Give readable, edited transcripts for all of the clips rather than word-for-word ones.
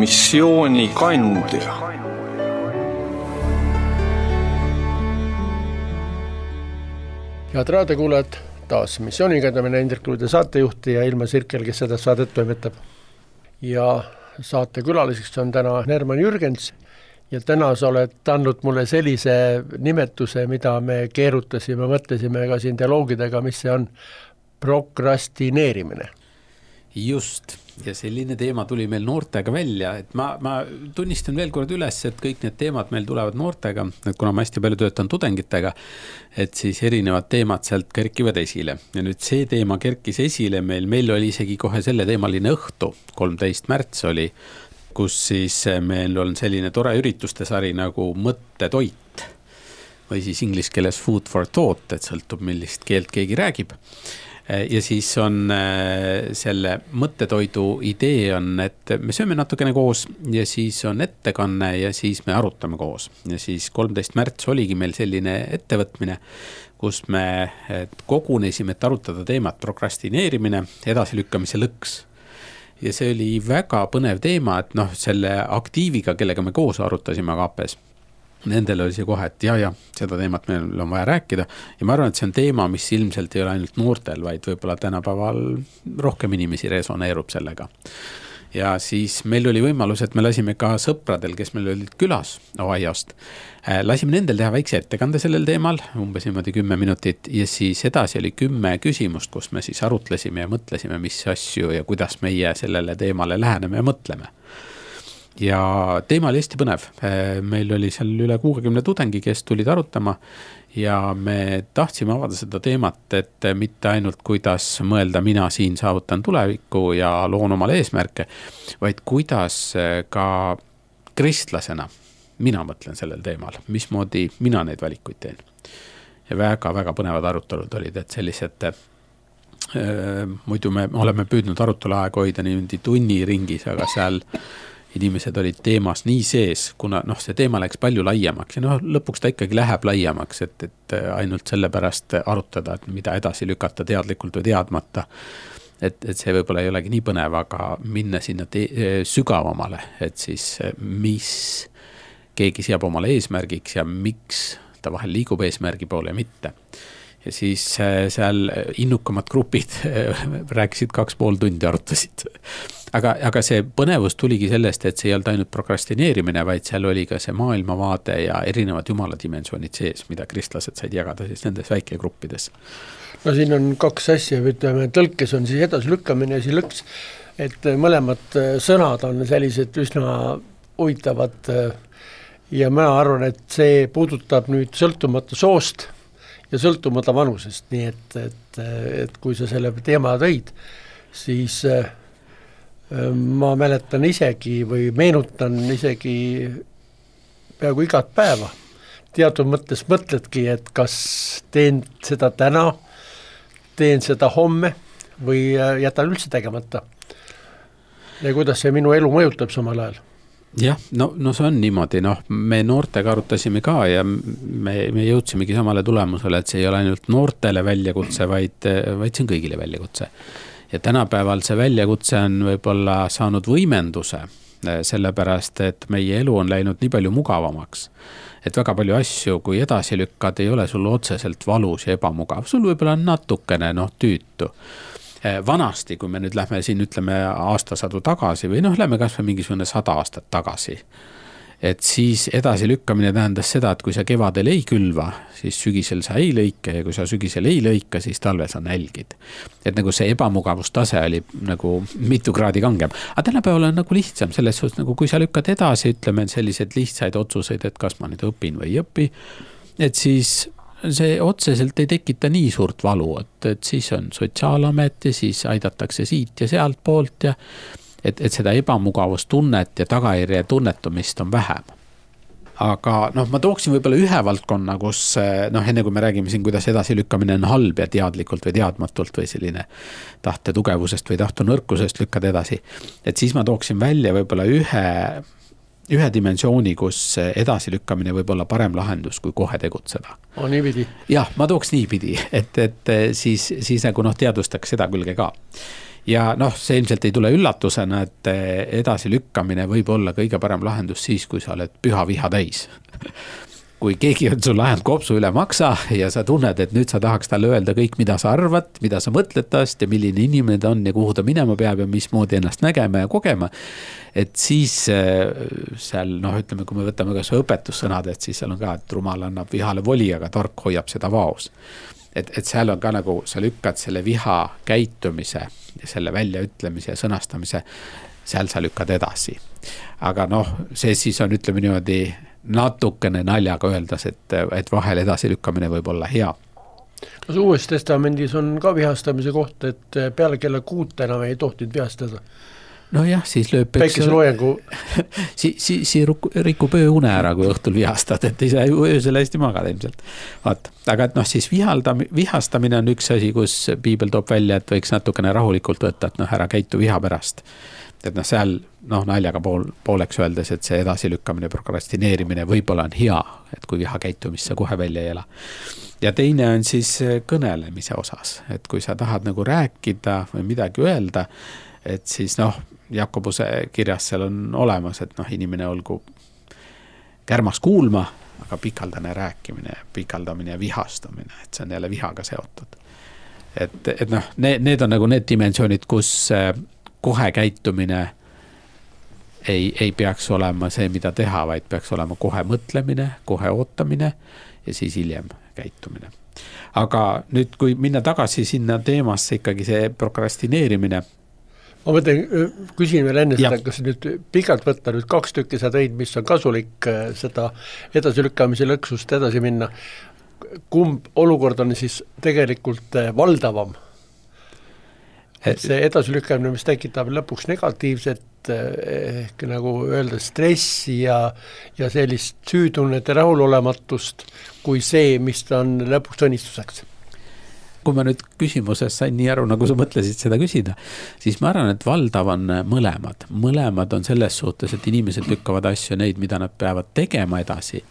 missiooni kandja. Head raadiokuulajad, taas missioonikandamine Indrek Luide saatejuhti ja Ilma Sirkel, kes seda saadet toimetab. Ja saate külaliseks on täna Herman Jürgens ja täna sa oled andnud mulle sellise nimetuse, mida me keerutasime, mõtlesime ka siin dialoogidega, mis see on prokrastineerimine. Just, ja selline teema tuli meil noortega välja, et ma tunnistan veel kord üles, et kõik need teemad meil tulevad noortega, et kuna ma hästi palju töötan tudengitega, et siis erinevad teemad sealt kerkivad esile. Ja nüüd see teema kerkis esile meil oli isegi kohe selle teemaline õhtu, 13. märts oli, kus siis meil on selline tore ürituste sari nagu mõttetoit või siis inglise keeles food for thought, et sõltub millist keelt keegi räägib. Ja siis on selle mõttetoidu idee on, et me sööme natukene koos ja siis on ettekanne ja siis me arutame koos. Ja siis 13. märts oligi meil selline ettevõtmine, kus me kogunesime, et arutada teemat prokrastineerimine, edasilükkamise lõks. Ja see oli väga põnev teema, et selle aktiiviga, kellega me koos arutasime Agapes, nendel oli see kohe, et ja, seda teemat meil on vaja rääkida ja ma arvan, et see on teema, mis ilmselt ei ole ainult noortel, vaid võib-olla tänapäeval rohkem inimesi resoneerub sellega. Ja siis meil oli võimalus, et me lasime ka sõpradel, kes meil olid külas Ohiost, lasime nendel teha väikse ettekande sellel teemal, umbes 10 minutit ja siis edasi oli 10 küsimust, kus me siis arutlesime ja mõtlesime, mis asju ja kuidas meie sellele teemale läheneme ja mõtleme. Ja teema oli hästi põnev. Meil oli seal üle 60 tudengi, kes tulid arutama ja me tahtsime avada seda teemat, et mitte ainult kuidas mõelda mina siin saavutan tulevikku ja loon omale eesmärke, vaid kuidas ka kristlasena mina mõtlen sellel teemal, mismoodi mina neid valikuid teen. Ja väga põnevad arutelud olid, et sellised muidu me oleme püüdnud arutelu aega hoida niimoodi tunni ringis, aga seal inimesed olid teemas nii sees, kuna see teema läks palju laiemaks ja lõpuks ta ikkagi läheb laiemaks, et ainult selle pärast arutada, et mida edasi lükata teadlikult või teadmata. Et see võib-olla ei olegi nii põnev, aga minna sinna sügavamale, et siis mis keegi seab omale eesmärgiks ja miks ta vahel liigub eesmärgi poole ja mitte. Ja siis seal innukamad grupid rääkisid 2,5 tundi arutasid. Aga see põnevus tuligi sellest, et see ei olnud ainult prokrastineerimine, vaid seal oli ka see maailmavaade ja erinevad jumala dimensioonid sees, mida kristlased said jagada siis nendes väikegruppides. No siin on 2 asja, ütleme, tõlkes on siis edasilükkamine ja siis lõks, et mõlemad sõnad on sellised üsna huvitavad ja ma arvan, et see puudutab nüüd sõltumata soost ja sõltumata vanusest, nii et kui sa selle teema tõid, siis ma mäletan isegi või meenutan isegi peaaegu igat päeva. Teatud mõttes mõtledki, et kas teen seda täna, teen seda homme või jätan üldse tegemata. Ja kuidas see minu elu mõjutab samal ajal? Jah, no see on niimoodi, me noortega arutasime ka ja me jõudsimegi samale tulemusele, et see ei ole ainult noortele väljakutse, vaid see on kõigile väljakutse. Ja tänapäeval see väljakutse on võib-olla saanud võimenduse, sellepärast, et meie elu on läinud nii palju mugavamaks, et väga palju asju, kui edasi lükkad, ei ole sul otseselt valus ja ebamugav, sul võib-olla natukene tüütu. Vanasti, kui me nüüd lähme siin, ütleme aastasadu tagasi või lähme kas või mingisugune 100 aastat tagasi, et siis edasi lükkamine tähendas seda, et kui sa kevadel ei külva, siis sügisel sa ei lõika ja kui sa sügisel ei lõika, siis talvel sa nälgid. Et nagu see ebamugavustase oli nagu mitu kraadi kangem. Aga tänapäeval on nagu lihtsam selles suhtes, nagu kui sa lükkad edasi, ütleme sellised lihtsaid otsuseid, et kas ma nüüd õpin või ei õpi, et siis see otseselt ei tekita nii suurt valu, et siis on sotsiaalamet ja siis aidatakse siit ja sealt poolt ja et seda ebamugavustunnet ja tagajärje tunnetumist on vähem. Aga ma tooksin võib-olla ühe valdkonna, kus enne kui me räägime siin, kuidas edasi lükkamine on halb ja teadlikult või teadmatult või selline tahte tugevusest või tahte nõrkusest lükkad edasi, et siis ma tooksin välja võib-olla ühe dimensiooni, kus edasi lükkamine võib olla parem lahendus, kui kohe tegutseda. Niipidi? Jah, ma tooks niipidi, et siis nagu teadvustaks seda külge ka. ja noh, see ilmselt ei tule üllatusena, et edasi lükkamine võib olla kõige parem lahendus siis, kui sa oled püha viha täis. Kui keegi on sul ajanud kopsu üle maksa ja sa tunned, et nüüd sa tahaks talle öelda kõik, mida sa arvad, mida sa mõtled tast ja milline inimene ta on ja kuhu ta minema peab ja mismoodi ennast nägema ja kogema, et siis seal, noh, ütleme, kui me võtame kas õpetussõnad, et siis seal on ka, et rumal annab vihale voli, aga tark hoiab seda vaos. Et seal on ka nagu, sa lükkad selle viha käitumise ja selle väljaütlemise ja sõnastamise, seal sa lükkad edasi. Aga noh, see siis on, ütleme niimoodi, natukene naljaga öeldes, et vahel edasi lükkamine võib olla hea. Kas Uues Testamendis on ka vihastamise koht, et peale kella 6 enam ei tohtinud vihastada? No jah, siis lööb päikeseloojangu siis rikub ööune ära, kui õhtul vihastad, et ei saa öösel hästi magada ilmselt. Vaat. Aga et noh, siis vihastamine on üks asi, kus piibel toob välja, et võiks natukene rahulikult võtta, et noh, ära käitu viha pärast. Et noh, seal naljaga pooleks öeldes, et see edasilükkamine, prokrastineerimine võib-olla on hea, et kui viha käitumisse kohe välja ei ela. Ja teine on siis kõnelemise osas, et kui sa tahad nagu rääkida või midagi öelda, et siis noh, Jakobuse kirjas seal on olemas, et noh, inimene olgu kärmas kuulma, aga pikaldane rääkimine, pikaldamine ja vihastamine, et see on jälle vihaga seotud. Et noh, need on nagu need dimensioonid, kus kohe käitumine ei peaks olema see, mida teha, vaid peaks olema kohe mõtlemine, kohe ootamine ja siis hiljem käitumine. Aga nüüd, kui minna tagasi sinna teemasse ikkagi see prokrastineerimine. Ma mõtlen, küsin veel enne seda, kas nüüd pikalt võtta nüüd 2 tükki sa tõid, mis on kasulik seda edasilükkamise lõksust edasi minna. Kumb olukord on siis tegelikult valdavam? See edasilükkamine, mis tekitab lõpuks negatiivset ehk nagu öelda stressi ja sellist süütunnet ja rahulolematust kui see, mis on lõpuks õnnistuseks. Kui ma nüüd küsimuses sain nii aru, nagu sa mõtlesid seda küsida, siis ma arvan, et valdav on mõlemad. Mõlemad on selles suhtes, et inimesed lükkavad asju neid, mida nad peavad tegema edasi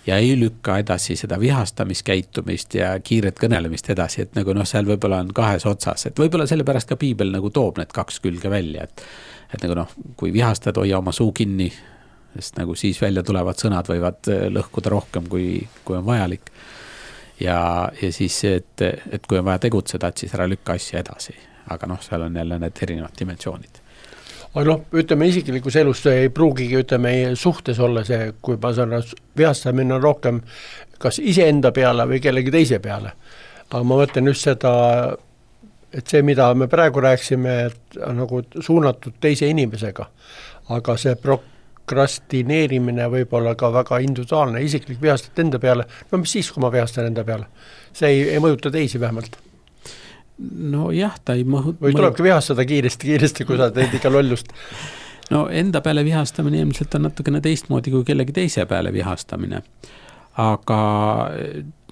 ja ei lükka edasi seda vihastamiskäitumist ja kiiret kõnelemist edasi, et nagu noh, seal võib-olla on 2 otsas, et võib-olla sellepärast ka piibel nagu toob need 2 külge välja, et nagu noh, kui vihastad, hoia oma suu kinni, sest nagu siis välja tulevad sõnad võivad lõhkuda rohkem, kui on vajalik. Ja siis, et kui on vaja tegutseda, et siis ära lükka asja edasi, aga noh, seal on jälle need erinevad dimensioonid. Aga noh, ütleme isiklikus elus ei pruugigi, ütleme suhtes olla see, kui ma saan vihastamine on rohkem kas iseenda peale või kellegi teise peale. Aga ma mõtlen just seda, et see, mida me praegu rääksime, et on nagu suunatud teise inimesega, aga see prokrastineerimine võib olla ka väga individuaalne, isiklik vihastad enda peale, no mis siis, kui ma vihastan enda peale? See ei mõjuta teisi vähemalt. No jah, ta ei või tulebki vihastada kiiresti, kui sa teed ikka lollust. No enda peale vihastamine ilmselt on natukene teistmoodi kui kellegi teise peale vihastamine. Aga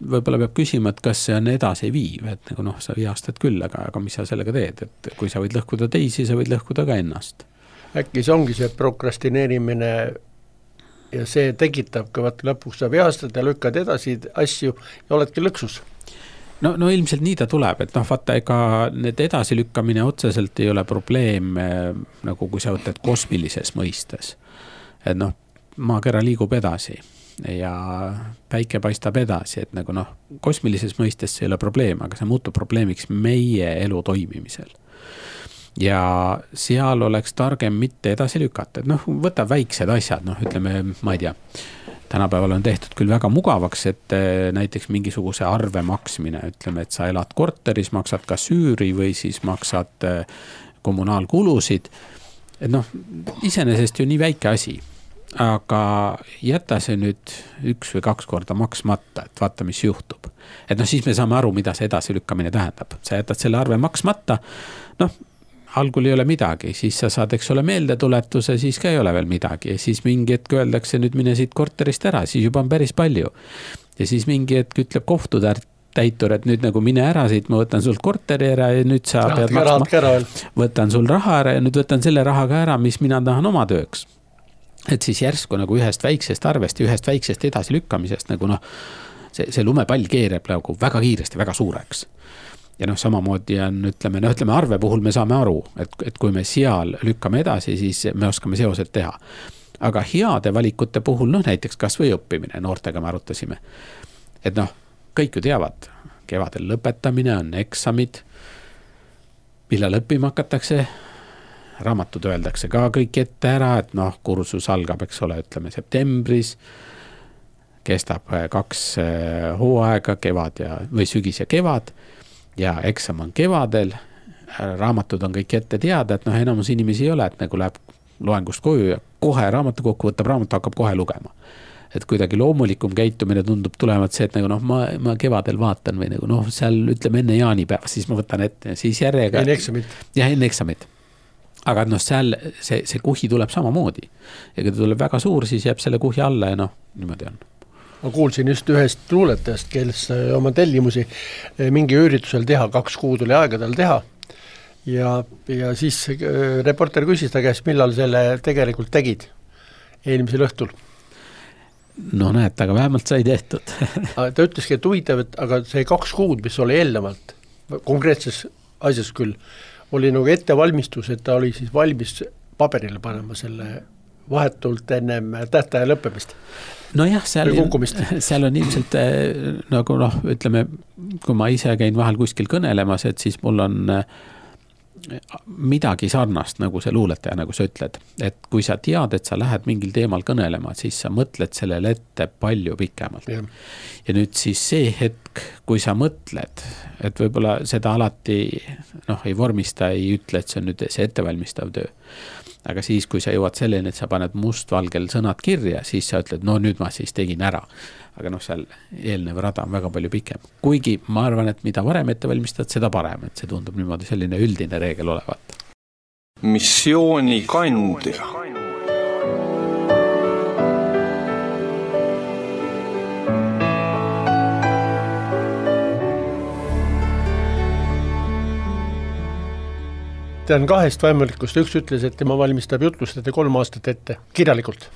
võib-olla peab küsima, et kas see on edasi viiv, et nagu noh, sa vihastad küll, aga mis sa sellega teed, et kui sa võid lõhkuda teisi, sa võid lõhkuda ka ennast. Äkki see ongi see prokrastineerimine ja see tekitab, kui lõpuks sa vihastad ja lükkad edasi asju ja oledki lõksus. No ilmselt nii ta tuleb, et noh, vaata, ega need edasilükkamine otseselt ei ole probleem, nagu kui sa võtad kosmilises mõistes. Et noh, maakera liigub edasi ja päike paistab edasi, et nagu noh, kosmilises mõistes see ei ole probleem, aga see muutub probleemiks meie elu toimimisel. Ja seal oleks targem mitte edasi lükata, et noh, võta väiksed asjad, noh, ütleme, ma ei tea, tänapäeval on tehtud küll väga mugavaks, et näiteks mingisuguse arve maksmine, ütleme, et sa elad korteris, maksad ka süüri või siis maksad kommunaalkulusid. Et noh, iseenesest ju nii väike asi, aga jäta see nüüd 1 või 2 korda maksmata, et vaata, mis juhtub. Et noh, siis me saame aru, mida see edasilükkamine tähendab. Sa jätad selle arve maksmata, noh, algul ei ole midagi, siis sa saad, eks ole, meeldetuletuse, siis ka ei ole veel midagi ja siis mingi hetk öeldakse, nüüd mine siit korterist ära, siis juba on päris palju. Ja siis mingi hetk ütleb kohtutäitur, et nüüd nagu mine ära siit, ma võtan sul korteri ära ja nüüd sa pead maksma, võtan sul raha ära ja nüüd võtan selle rahaga ära, mis mina tahan oma tööks. Et siis järsku nagu ühest väiksest arvest ja ühest väiksest edasi lükkamisest nagu noh, see lumepall keereb nagu väga kiiresti, väga suureks. ja noh, samamoodi on, ütleme arve puhul me saame aru, et kui me seal lükkame edasi, siis me oskame seosed teha. Aga heade valikute puhul, noh näiteks kas või õppimine, noortega me arutasime, et noh, kõik ju teavad, kevadel lõpetamine on eksamid, millal õppima hakatakse, raamatud öeldakse ka kõik ette ära, et noh, kursus algab, eks ole, ütleme septembris, kestab 2 hooaega, kevad või sügis ja kevad, ja eksam on kevadel, raamatud on kõik ette teada, et noh, enamus inimesi ei ole, et nagu läheb loengust koju ja kohe raamatu kokku võtab raamatu, hakkab kohe lugema. Et kuidagi loomulikum käitumine tundub tulevat see, et nagu noh, ma kevadel vaatan või nagu noh, seal ütleme enne jaanipäeva, siis ma võtan ette ja siis järjega. Enne eksamit. Ja enne eksamit. Aga noh, seal see kuhi tuleb samamoodi. Ja kui ta tuleb väga suur, siis jääb selle kuhi alla ja noh, niimoodi on. Ma kuulsin just ühest luuletajast, kes oma tellimusi mingi üritusel teha, 2 kuud oli aega tal teha. Ja siis reporter küsis ta käest, millal selle tegelikult tegid eelmisel õhtul. No näed, aga vähemalt sai tehtud. Ta ütleski, et huvitav, aga see 2 kuud, mis oli eelnevalt, konkreetses asjas küll, oli nagu ettevalmistus, et ta oli siis valmis paberile panema selle vahetult ennem tähtaja lõppemist. No jah, seal on ilmselt nagu noh, ütleme, kui ma ise käin vahel kuskil kõnelemas, et siis mul on midagi sarnast, nagu see luuletaja, nagu sa ütled. Et kui sa tead, et sa lähed mingil teemal kõnelema, siis sa mõtled sellele ette palju pikemalt. Ja nüüd siis see hetk, kui sa mõtled, et võib-olla seda alati noh, ei vormista, ei ütle, et see on nüüd see ettevalmistav töö. Aga siis, kui sa jõuad selleni, et sa paned mustvalgel sõnad kirja, siis sa ütled, no nüüd ma siis tegin ära. Aga noh, seal eelnev rada on väga palju pikem. Kuigi ma arvan, et mida varem ette valmistad, seda parem, et see tundub niimoodi selline üldine reegel olevat. Missiooni kandja. Ta on 2 vaimulikust, üks ütles, et tema valmistab jutlust ette 3 aastat ette, kirjalikult.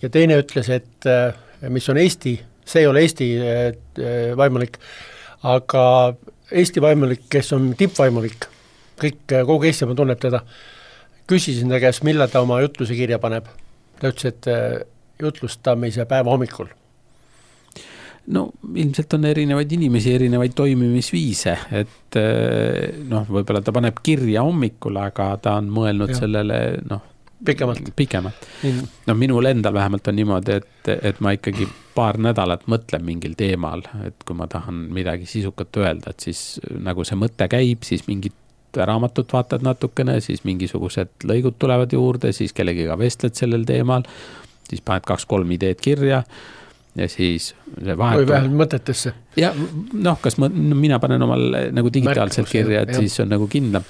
Ja teine ütles, et mis on Eesti, see ei ole Eesti vaimulik, aga Eesti vaimulik, kes on tippvaimulik, kogu Eestimaa tunneb teda, küsisin ta käest, millal ta oma jutluse kirja paneb. Ta ütles, et jutlustamise päeva hommikul. No ilmselt on erinevaid inimesi, erinevaid toimimisviise, et noh, võib-olla ta paneb kirja hommikul, aga ta on mõelnud sellele noh, pikemalt. No minul endal vähemalt on niimoodi, et ma ikkagi paar nädalat mõtlen mingil teemal, et kui ma tahan midagi sisukat öelda, et siis nagu see mõte käib, siis mingit raamatut vaatad natukene, siis mingisugused lõigud tulevad juurde, siis kellegiga vestled sellel teemal, siis paned 2-3 ideed kirja ja siis see või vähemalt mõtetesse. Ja noh, kas mina panen omal nagu digitaalselt kirja, et siis on nagu kindlam.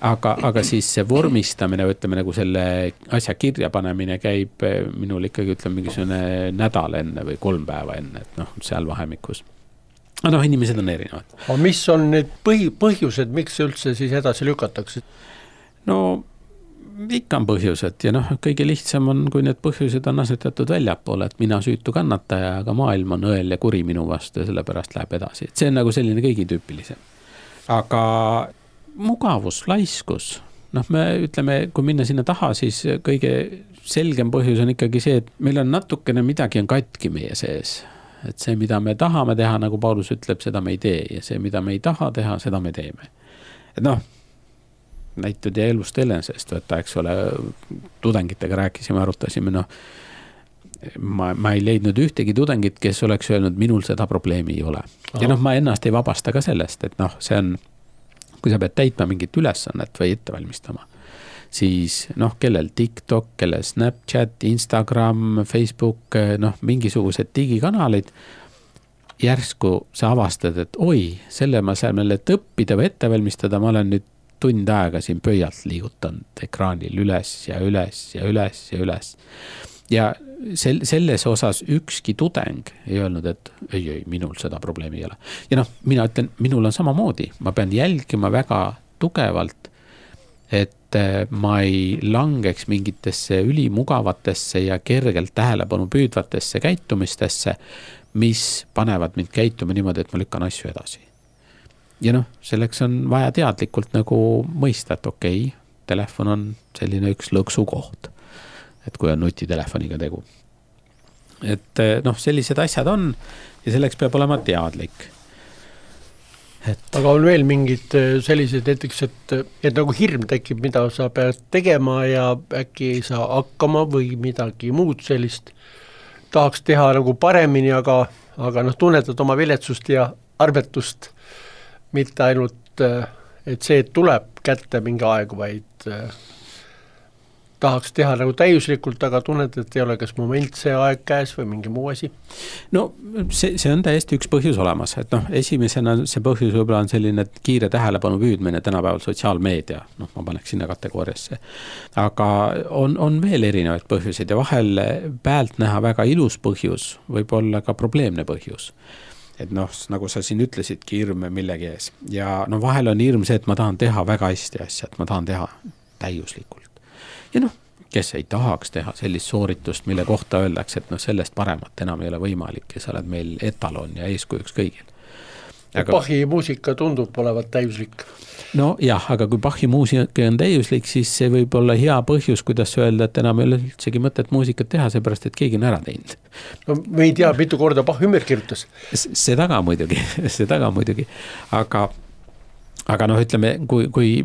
Aga siis see vormistamine, ütleme nagu selle asja kirja panemine käib minul ikkagi ütleme mingisugune nädal enne või 3 päeva enne, et noh, seal vahemikus. Aga noh, inimesed on erinevad. Aga mis on need põhjused, miks üldse siis edasi lükatakse? No ikka on põhjused ja noh, kõige lihtsam on, kui need põhjused on asetatud väljapoole, et mina süütu kannataja, aga maailm on õel ja kuri minu vastu ja sellepärast läheb edasi. Et see on nagu selline kõigi tüüpilisem. Aga mugavus, laiskus, noh me ütleme, kui minna sinna taha, siis kõige selgem põhjus on ikkagi see, et meil on natukene midagi on katki meie sees. Et see, mida me tahame teha, nagu Paulus ütleb, seda me ei tee ja see, mida me ei taha teha, seda me teeme. Et noh, näitud ja elust enesest, võtta, eks ole, tudengitega rääkisime, arutasime, noh, ma ei leidnud ühtegi tudengit, kes oleks öelnud, minul seda probleemi ei ole. Ja noh, ma ennast ei vabasta ka sellest, et noh, see on, kui sa pead täitma mingit ülesannet või ette valmistama, siis noh, kellel TikTok, kellel Snapchat, Instagram, Facebook, noh, mingisugused digikanalid, järsku sa avastad, et oi, selle ma saan meile õppida või ette valmistada, ma olen nüüd tund aega siin pöialt liigutanud ekraanil üles ja üles ja üles ja üles. Ja selles osas ükski tudeng ei öelnud, et ei, minul seda probleemi ei ole. Ja noh, mina ütlen, minul on samamoodi. Ma pean jälgima väga tugevalt, et ma ei langeks mingitesse ülimugavatesse ja kergelt tähelepanu püüdvatesse käitumistesse, mis panevad mind käituma niimoodi, et ma lükkan asju edasi. ja noh, selleks on vaja teadlikult nagu mõista, et okei, telefon on selline üks lõksu koht, et kui on nutitelefoniga tegu. Et noh, sellised asjad on ja selleks peab olema teadlik. Aga on veel mingid sellised näiteks, et nagu hirm tekib, mida sa pead tegema ja äkki ei saa hakkama või midagi muud sellist tahaks teha nagu paremini, aga noh, tunnetad oma viletsust ja arbetust, mitte ainult, et see tuleb kätte mingi aeg, vaid tahaks teha nagu täiuslikult, aga tunned, et ei ole kas moment see aeg käes või mingi muu asi? No see on täiesti üks põhjus olemas, et noh, esimesena see põhjus võib-olla on selline kiire tähelepanu püüdmine tänapäeval sotsiaalmeedia, noh, ma paneks sinna kategooriasse. Aga on veel erinevaid põhjuseid ja vahel pealt näha väga ilus põhjus, võib olla ka probleemne põhjus. Et noh, nagu sa siin ütlesid, hirm millegi ees. Ja no vahel on hirm see, et ma tahan teha väga hästi asja, et ma tahan teha täiuslikult. Ja noh, kes ei tahaks teha sellist sooritust, mille kohta öeldakse, et noh, sellest paremat enam ei ole võimalik ja sa oled meil etalon ja eeskujuks kõigil. Aga Bachi muusika tundub olevat täiuslik. No jah, aga kui Bachi muusika on täiuslik, siis see võib olla hea põhjus, kuidas öelda, et enam ei ole üldsegi mõtet muusikat teha, seepärast, et keegi on ära teinud. No me ei tea, mitu korda Bach ümber kirjutas. Seda ka muidugi. Aga noh, ütleme, kui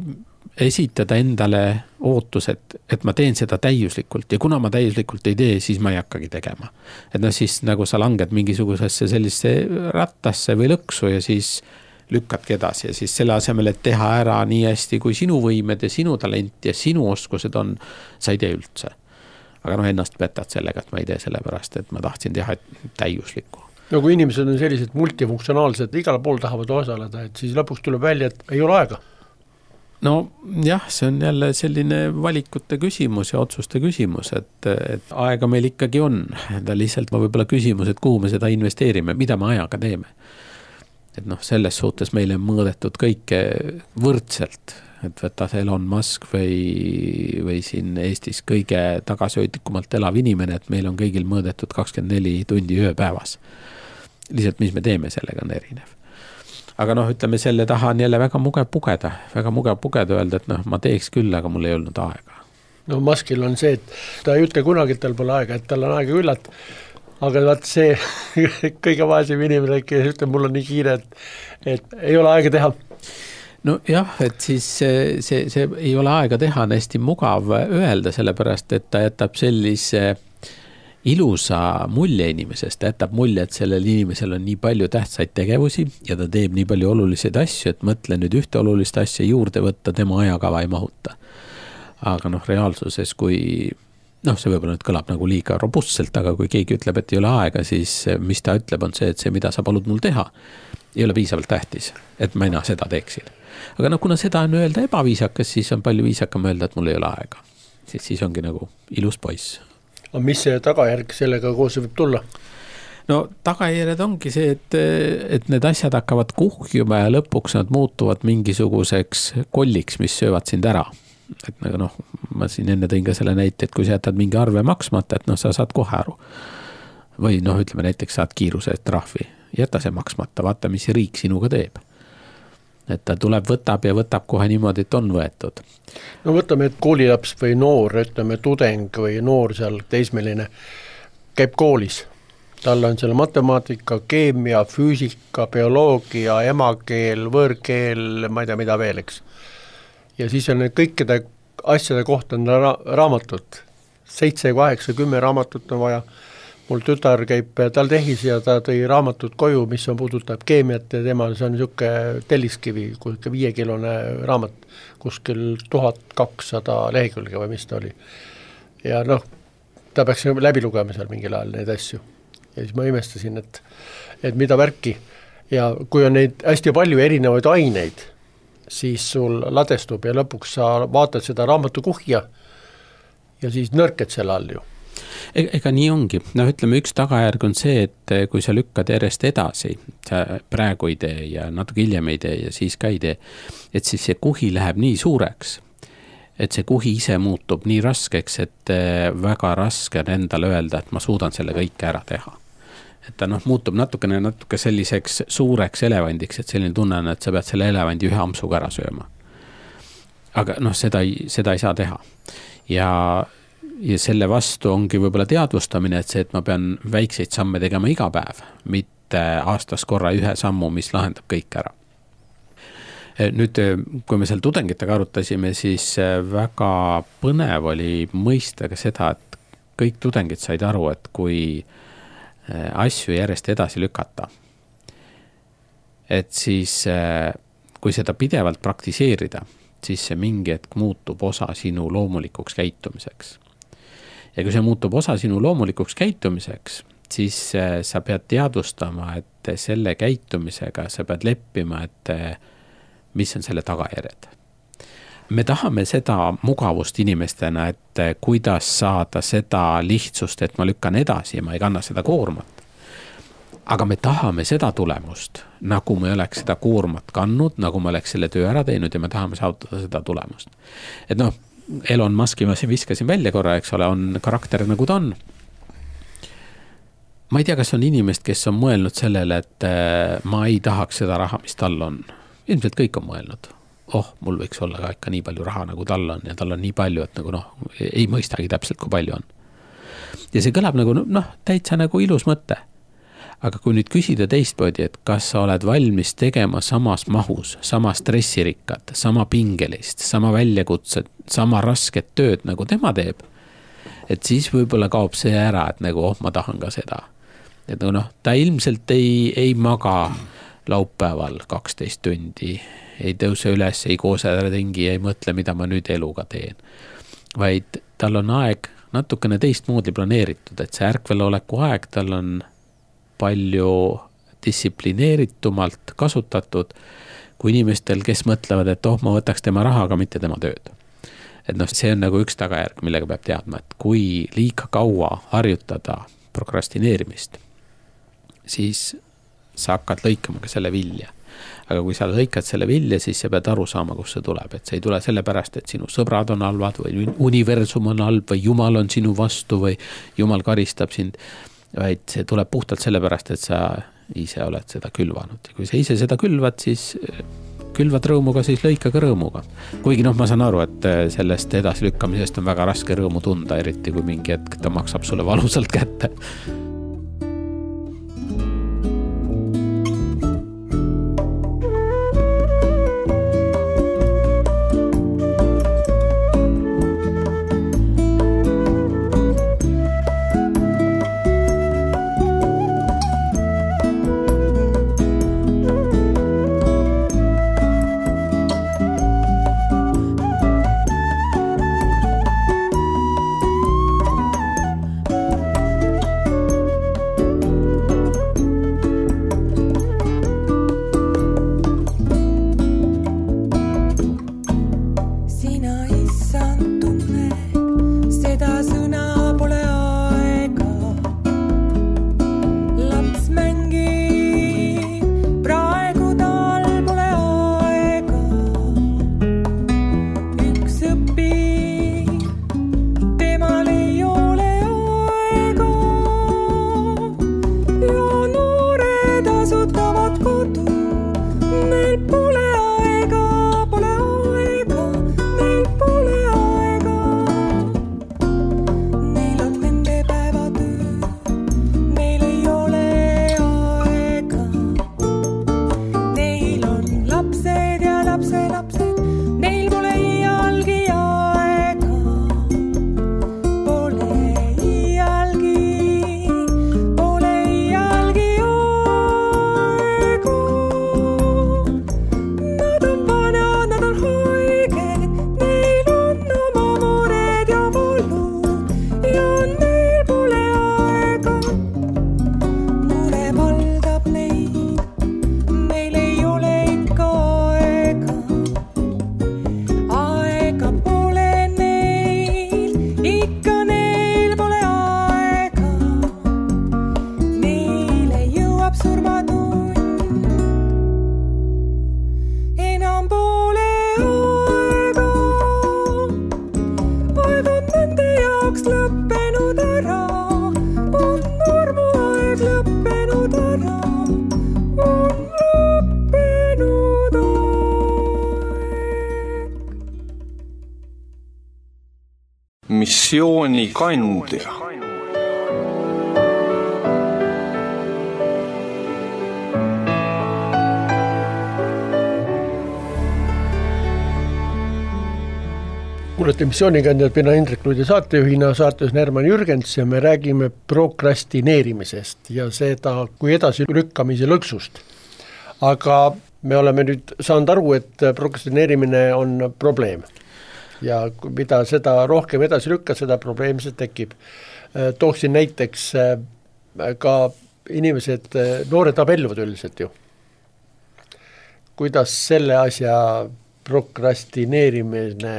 esitada endale ootus, et ma teen seda täiuslikult ja kuna ma täiuslikult ei tee, siis ma ei hakkagi tegema. Et noh, siis nagu sa langed mingisugusesse sellisse rattasse või lõksu ja siis lükkadki edasi ja siis selle asemel, et teha ära nii hästi kui sinu võimed ja sinu talent ja sinu oskused on, sa ei tee üldse. Aga noh, ennast petad sellega, et ma ei tee sellepärast, et ma tahtsin teha täiuslikku. No kui inimesed on sellised multifunktsionaalsed, igal pool tahavad osaleda, et siis lõpuks tuleb välja, et ei ole aega. No jah, see on jälle selline valikute küsimus ja otsuste küsimus, et aega meil ikkagi on. Ta lihtsalt võib-olla küsimus, et kuhu me seda investeerime, mida me ajaga teeme. Et noh, selles suhtes meile on mõõdetud kõike võrdselt, et võtas Elon Musk või siin Eestis kõige tagasihoidlikumalt elav inimene, et meil on kõigil mõõdetud 24 tundi ööpäevas. Lihtsalt, mis me teeme, sellega on erinev. Aga noh, ütleme, selle taha on jälle väga mugav pugeda öelda, et noh, ma teeks küll, aga mul ei olnud aega. No Muskil on see, et ta ei ütle kunagi, et tal pole aega, et tal on aega küllalt, aga vaat see kõige vaesem inimene, kes ütleb, mul on nii kiire, et ei ole aega teha. No jah, et siis see ei ole aega teha, on hästi mugav öelda, sellepärast, et ta jätab sellise ilusa mulje inimesest, jätab mulje, et sellel inimesel on nii palju tähtsaid tegevusi ja ta teeb nii palju oluliseid asju, et mõtle nüüd ühte olulist asja juurde võtta, tema ajakava ei mahuta. Aga noh, reaalsuses, kui noh, see võib-olla nüüd kõlab nagu liiga robustselt, aga kui keegi ütleb, et ei ole aega, siis mis ta ütleb, on see, et see, mida sa palud mul teha, ei ole piisavalt tähtis, et ma enam seda teeksin. Aga noh, kuna seda on öelda ebaviisakas, siis on palju viisakam öelda, et mul ei ole aega. Siis ongi nagu ilus poiss. Aga mis see tagajärg sellega koos võib tulla? No tagajärjed ongi see, et need asjad hakkavad kuhjuma ja lõpuks nad muutuvad mingisuguseks kolliks, mis söövad sind ära. Et nagu noh, ma siin enne tõin ka selle näite, et kui sa jätad mingi arve maksmata, et noh, sa saad kohe aru. Või noh, ütleme näiteks saad kiiruse trahvi, jäta see maksmata, vaata, mis riik sinuga teeb. Et ta tuleb, võtab kohe niimoodi, et on võetud. No võtame, et koolilaps või noor, ütleme tudeng või noor seal teismeline käib koolis. Tal on selle matemaatika, keemia, füüsika, bioloogia, emakeel, võõrkeel, ma ei tea mida veel, eks. Ja siis on kõikide asjade kohta on raamatut. 7, 8, 10 raamatut on vaja. Mul tütar käib TalTechis ja ta tõi raamatut koju, mis on puudutab keemiat ja temal see on niisugune telliskivi, 5-kilone raamat, kuskil 1200 lehekülge või mis ta oli. Ja noh, ta peaks läbi lugema seal mingil ajal neid asju. Ja siis ma imestasin, et mida värki. Ja kui on neid hästi palju erinevaid aineid, siis sul ladestub ja lõpuks sa vaatad seda raamatu kuhja ja siis nõrked selle all ju. Ega nii ongi. No ütleme, üks tagajärg on see, et kui sa lükkad järjest edasi, sa praegu ei tee ja natuke hiljem ei tee ja siis ka ei tee, et siis see kuhi läheb nii suureks, et see kuhi ise muutub nii raskeks, et väga raske on endale öelda, et ma suudan selle kõike ära teha. et ta muutub natuke selliseks suureks elevandiks, et selline tunne on, et sa pead selle elevandi ühe ampsuga ära sööma. Aga seda ei saa teha. Ja selle vastu ongi võib-olla teadvustamine, et see, et ma pean väikseid samme tegema iga päev, mitte aastas korra ühe sammu, mis lahendab kõik ära. Nüüd, kui me seal tudengitega arutasime, siis väga põnev oli mõista ka seda, et kõik tudengid said aru, et kui asju järjest edasi lükata, et siis kui seda pidevalt praktiseerida, siis see mingi hetk muutub osa sinu loomulikuks käitumiseks. Ja kui see muutub osa sinu loomulikuks käitumiseks, siis sa pead teadvustama, et selle käitumisega sa pead leppima, et mis on selle tagajärjed. Me tahame seda mugavust inimestena, et kuidas saada seda lihtsust, et ma lükkan edasi ja ma ei kanna seda koormat. Aga me tahame seda tulemust, nagu me oleks seda koormat kandnud, nagu me oleks selle töö ära teinud ja me tahame saavutada seda tulemust. Et Elon Muski ma viskasin välja korra, eks ole, on karakter nagu ta on. Ma ei tea, kas on inimest, kes on mõelnud sellele, et ma ei tahaks seda raha, mis tal on. Ilmselt kõik on mõelnud. Mul võiks olla ka ikka nii palju raha, nagu tal on ja tal on nii palju, et nagu ei mõistagi täpselt, kui palju on. Ja see kõlab nagu täitsa nagu ilus mõte. Aga kui nüüd küsida teistmoodi, et kas sa oled valmis tegema samas mahus, sama stressirikkad, sama pingelist, sama väljakutsed, sama rasket tööd, nagu tema teeb, et siis võib-olla kaob see ära, et nagu ma tahan ka seda. Et ta ilmselt ei maga laupäeval 12 tundi, ei tõuse üles, ei koose ringi, ei mõtle, mida ma nüüd eluga teen. Vaid tal on aeg natukene teistmoodi planeeritud, et see ärkveloleku aeg tal on palju distsiplineeritumalt kasutatud kui inimestel, kes mõtlevad, et ma võtaks tema raha, aga mitte tema tööd. Et see on nagu üks tagajärg, millega peab teadma, et kui liiga kaua harjutada prokrastineerimist, siis sa hakkad lõikama ka selle vilja. Aga kui sa lõikad selle vilja, siis sa pead aru saama, kus see tuleb. Et see ei tule sellepärast, et sinu sõbrad on halvad või universum on halb või Jumal on sinu vastu või Jumal karistab sind, vaid see tuleb puhtalt sellepärast, et sa ise oled seda külvanud. Ja kui sa ise seda külvad, siis külvad rõõmuga, siis lõika ka rõõmuga. Kuigi ma saan aru, et sellest edaslükkamisest on väga raske rõõmu tunda, eriti kui mingi hetk ta maksab sulle valusalt kätte. missioonikandja. Kuulete missioonikandjad, mina Indrek Luide saatejuhina, saates Herman Jürgens ja me räägime prokrastineerimisest ja seda kui edasi lükkamise lõksust. Aga me oleme nüüd saanud aru, et prokrastineerimine on probleem ja mida seda rohkem edasi lükka, seda probleem see tekib. Tooksin näiteks ka inimesed, noored abielluvad üldiselt ju. Kuidas selle asja prokrastineerimine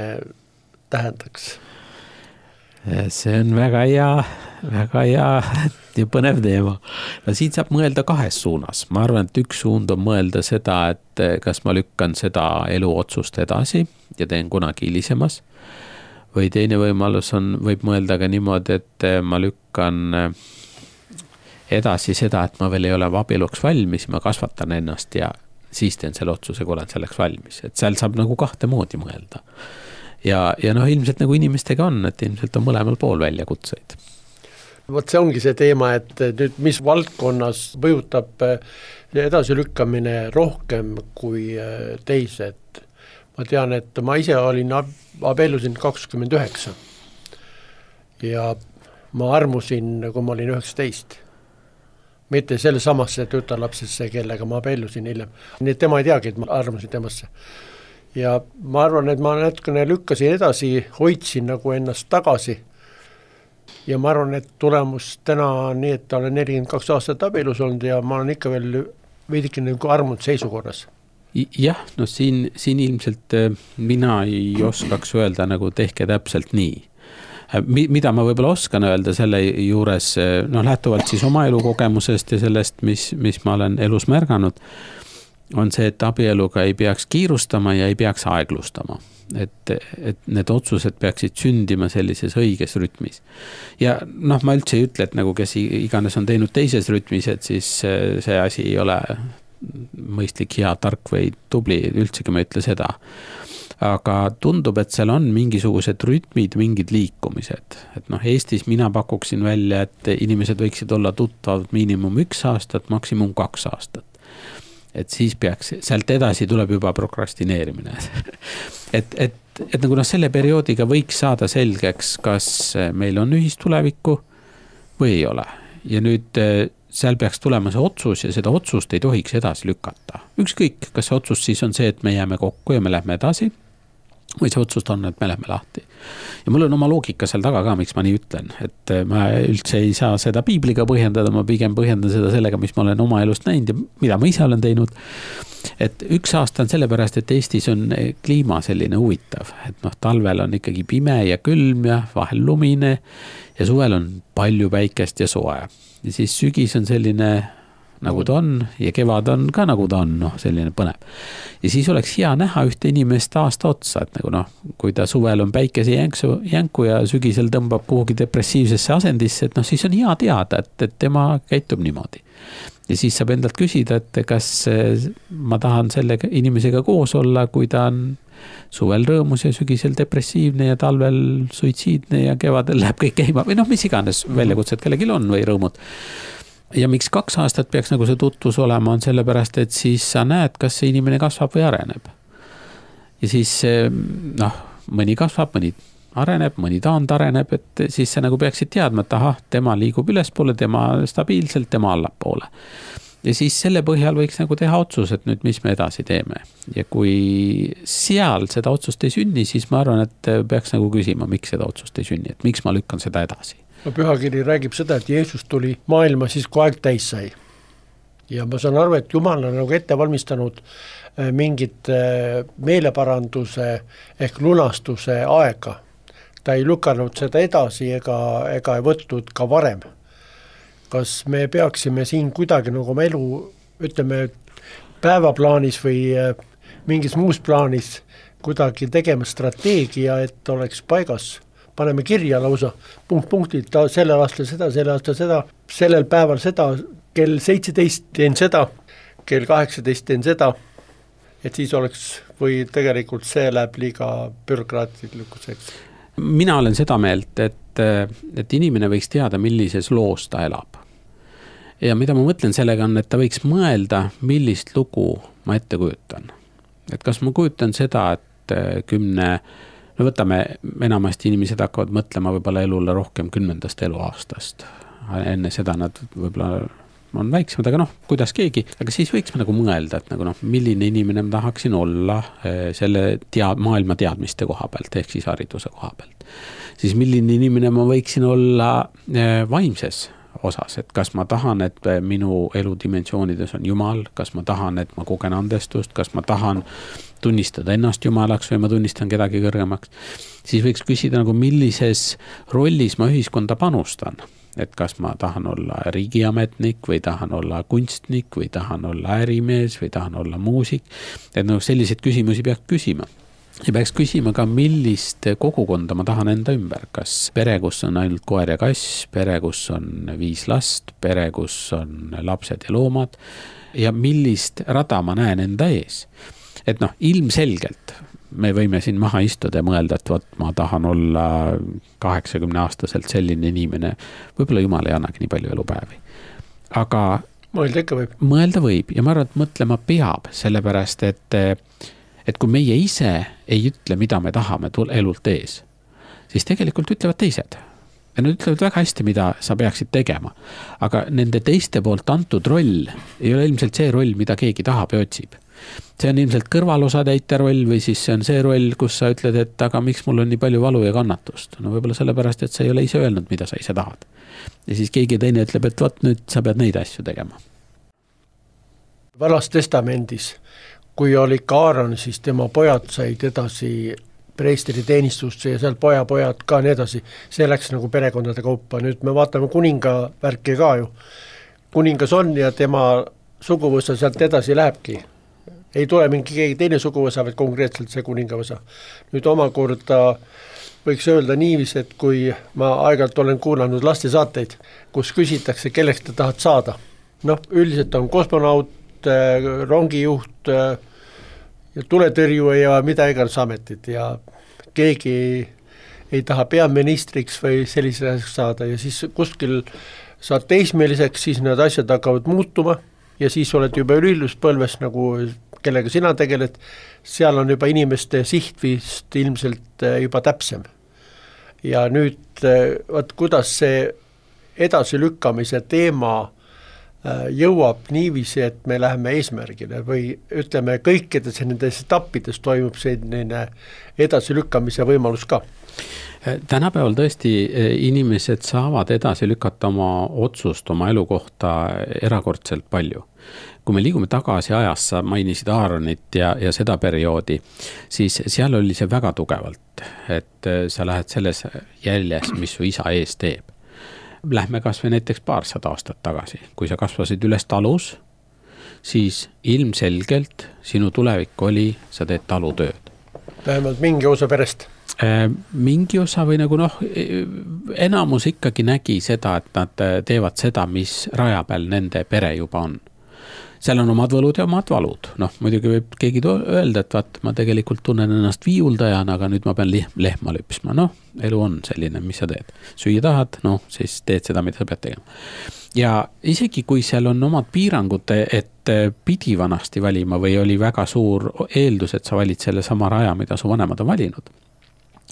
tähendaks? See on väga hea ja põnev teema. No siin saab mõelda kahes suunas. Ma arvan, et üks suund on mõelda seda, et kas ma lükkan seda eluotsust edasi ja teen kunagi hilisemas. Või teine võimalus võib mõelda ka niimoodi, et ma lükkan edasi seda, et ma veel ei ole abieluks valmis, ma kasvatan ennast ja siis teen selle otsuse, kui olen selleks valmis. Et seal saab nagu kahte moodi mõelda. Ja ilmselt nagu inimestega on, et ilmselt on mõlemal pool väljakutseid. Vot see ongi see teema, et nüüd mis valdkonnas mõjutab edasilükkamine rohkem kui teised. Ma tean, et ma ise olin abiellusin 29 ja ma armusin, kui ma olin 19. Mitte selle samasse tütarlapsesse, kellega ma abiellusin hiljem. Nii et tema ei teagi, et ma armusin temasse. Ja ma arvan, et ma natukene lükkasin edasi, hoidsin nagu ennast tagasi. Ja ma arvan, et tulemus täna on nii, et olen 42 aastat abielus olnud ja ma olen ikka veel veidike nagu armunud seisukorras. Jah, no siin ilmselt mina ei oskaks öelda nagu tehke täpselt nii. Mida ma võib-olla oskan öelda selle juures, lähtuvalt siis oma elukogemusest ja sellest, mis ma olen elus märganud, on see, et abieluga ei peaks kiirustama ja ei peaks aeglustama. Et need otsused peaksid sündima sellises õiges rütmis. Ja ma üldse ei ütle, et nagu kes iganes on teinud teises rütmis, et siis see asi ei ole mõistlik, hea, tark või tubli, üldsegi ma ütle seda. Aga tundub, et seal on mingisugused rütmid, mingid liikumised. Et Eestis mina pakuksin välja, et inimesed võiksid olla tuttavad miinimum 1 aastat, maksimum 2 aastat. Et siis peaks, sealt edasi tuleb juba prokrastineerimine. et nagu selle perioodiga võiks saada selgeks, kas meil on ühistulevikku või ei ole. Ja nüüd seal peaks tulema see otsus ja seda otsust ei tohiks edasi lükata. Ükskõik, kas see otsus siis on see, et me jääme kokku ja me lähme edasi, või see otsust on, et me lähme lahti. Ja mul on oma loogika seal taga ka, miks ma nii ütlen. Et ma üldse ei saa seda piibliga põhjendada, ma pigem põhjendan seda sellega, mis ma olen oma elust näinud ja mida ma ise olen teinud. Et 1 aasta on sellepärast, et Eestis on kliima selline huvitav. Et talvel on ikkagi pime ja külm ja vahel lumine ja suvel on palju päikest ja soe. Ja siis sügis on selline nagu ta on ja kevad on ka nagu ta on, selline põnev. Ja siis oleks hea näha ühte inimest aasta otsa, et nagu kui ta suvel on päikese jänku ja sügisel tõmbab kuhugi depressiivsesse asendisse, et siis on hea teada, et tema käitub niimoodi. Ja siis saab endalt küsida, et kas ma tahan selle inimesega koos olla, kui ta on suvel rõõmus ja sügisel depressiivne ja talvel suitsiidne ja kevadel läheb kõik käima või mis iganes väljakutsed kellelgi on või rõõmud. Ja miks 2 aastat peaks nagu see tutvus olema, on sellepärast, et siis sa näed, kas see inimene kasvab või areneb. Ja siis mõni kasvab, mõni areneb, mõni taand areneb, et siis sa nagu peaksid teadma, et tema liigub ülespoole, tema stabiilselt, tema allapoole. Ja siis selle põhjal võiks nagu teha otsus, et nüüd mis me edasi teeme. Ja kui seal seda otsust ei sünni, siis ma arvan, et peaks nagu küsima, miks seda otsust ei sünni, et miks ma lükkan seda edasi. Pühakiri räägib seda, et Jeesus tuli maailma siis, kui aeg täis sai. Ja ma saan aru, et Jumal on nagu ette valmistanud mingit meeleparanduse ehk lunastuse aega. Ta ei lükanud seda edasi ega ei võtnud ka varem. Kas me peaksime siin kuidagi nagu oma elu, ütleme, päevaplaanis või mingis muus plaanis kuidagi tegema strateegia, et oleks paigas? Paneme kirja lausa punktid, sellel aastal seda, sellel päeval seda, kell 17 teen seda, kell 18 teen seda, et siis oleks või tegelikult see läheb liiga bürokraatlikuseks. Mina olen seda meelt, et inimene võiks teada, millises loos ta elab. Ja mida ma mõtlen sellega on, et ta võiks mõelda, millist lugu ma ette kujutan. Et kas ma kujutan seda, et no võtame, enamasti inimesed hakkavad mõtlema võib-olla elule rohkem 10. eluaastast. Enne seda nad võib-olla on väiksemad, aga kuidas keegi, aga siis võiks ma nagu mõelda, et nagu milline inimene ma tahaksin olla selle maailma teadmiste koha pealt, ehk siis hariduse koha pealt. Siis milline inimene ma võiksin olla vaimses osas, et kas ma tahan, et minu eludimensioonides on Jumal, kas ma tahan, et ma kogen andestust, kas ma tahan tunnistada ennast Jumalaks või ma tunnistan kedagi kõrgemaks. Siis võiks küsida nagu millises rollis ma ühiskonda panustan. Et kas ma tahan olla riigiametnik või tahan olla kunstnik või tahan olla ärimees või tahan olla muusik. Et selliseid küsimusi peaks küsima. Ja peaks küsima ka, millist kogukonda ma tahan enda ümber. Kas pere, kus on ainult koer ja kass, pere, kus on 5 last, pere, kus on lapsed ja loomad ja millist rada ma näen enda ees. Et ilmselgelt me võime siin maha istuda ja mõelda, et ma tahan olla 80-aastaselt selline inimene, võib-olla Jumal ei annagi nii palju elupäevi. Aga mõelda võib ja ma arvan, et mõtlema peab, sellepärast, et kui meie ise ei ütle, mida me tahame elult ees, siis tegelikult ütlevad teised. Ja nad ütlevad väga hästi, mida sa peaksid tegema. Aga nende teiste poolt antud roll ei ole ilmselt see roll, mida keegi tahab ja otsib. See on ilmselt kõrvalosatäitja roll või siis see on see roll, kus sa ütled, et aga miks mul on nii palju valu ja kannatust. Võib-olla sellepärast, et sa ei ole ise öelnud, mida sa ise tahad. Ja siis keegi teine ütleb, et nüüd sa pead neid asju tegema. Vanas testamendis, kui oli Aaron, siis tema pojad said edasi preestri teenistusse ja seal pojad ka nii edasi. See läks nagu perekondade kaupa. Nüüd me vaatame kuninga värki ka ju. Kuningas on ja tema suguvõsa sealt edasi lähebki. Ei tule mingi keegi teine suguvõsa, vaid konkreetselt see kuningavõsa. Nüüd omakorda võiks öelda niiviisi, et kui ma aegalt olen kuulanud lastesaateid, kus küsitakse, kelleks te tahad saada. Üldiselt on kosmonaut, rongijuht ja tuletõrjuja ja mida iganes ametid ja keegi ei taha peaministriks või selliseks saada ja siis kuskil saad teismeliseks, siis need asjad hakkavad muutuma ja siis oled juba üliluspõlves nagu kellega sina tegeled, seal on juba inimeste siht vist ilmselt juba täpsem. Ja nüüd, kuidas see edasilükkamise teema jõuab niiviisi, et me läheme eesmärgile või ütleme, kõikides nendes etappides toimub selline edasilükkamise võimalus ka. Tänapäeval tõesti inimesed saavad edasi lükata oma otsust oma elu kohta erakordselt palju. Kui me liigume tagasi ajas, sa mainisid Aaronit ja seda perioodi, siis seal oli see väga tugevalt, et sa lähed selles jäljes, mis su isa ees teeb. Lähme kas või näiteks 200 aastat tagasi. Kui sa kasvasid üles talus, siis ilmselgelt sinu tulevik oli, sa teed talutööd. Vähemalt mingi osa perest. Mingi osa või nagu enamus ikkagi nägi seda, et nad teevad seda, mis raja peal nende pere juba on. Seal on omad võlud ja omad valud. Muidugi võib keegi öelda, et vaat, ma tegelikult tunnen ennast viiuldajana, aga nüüd ma pean lehma lüpsma. Elu on selline, mis sa teed. Süüa tahad, siis teed seda, mida sa pead tegema. Ja isegi kui seal on omad piirangud, et pidi vanasti valima või oli väga suur eeldus, et sa valid selle sama raja, mida su vanemad on valinud,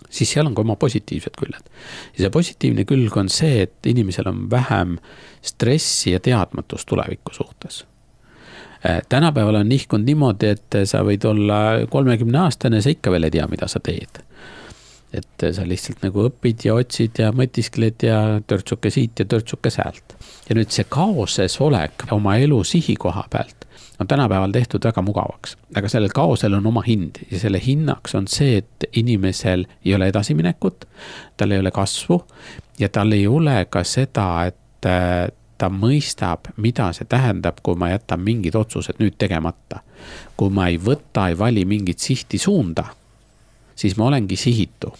siis seal on ka oma positiivsed küljed. Ja see positiivne külg on see, et inimesel on vähem stressi ja teadmatust tuleviku suhtes. Tänapäeval on nihkunud niimoodi, et sa võid olla 30-aastane, sa ikka veel ei tea, mida sa teed. Et sa lihtsalt nagu õpid ja otsid ja mõtiskled ja törtsuke siit ja törtsuke säält. Ja nüüd see kaoses olek oma elu sihikoha pealt on tänapäeval tehtud väga mugavaks. Aga sellel kaosel on oma hind ja selle hinnaks on see, et inimesel ei ole edasiminekut, tal ei ole kasvu ja tal ei ole ka seda, et ta mõistab, mida see tähendab, kui ma jätan mingid otsused nüüd tegemata. Kui ma ei võta, ei vali mingit sihti suunda, siis ma olengi sihitu.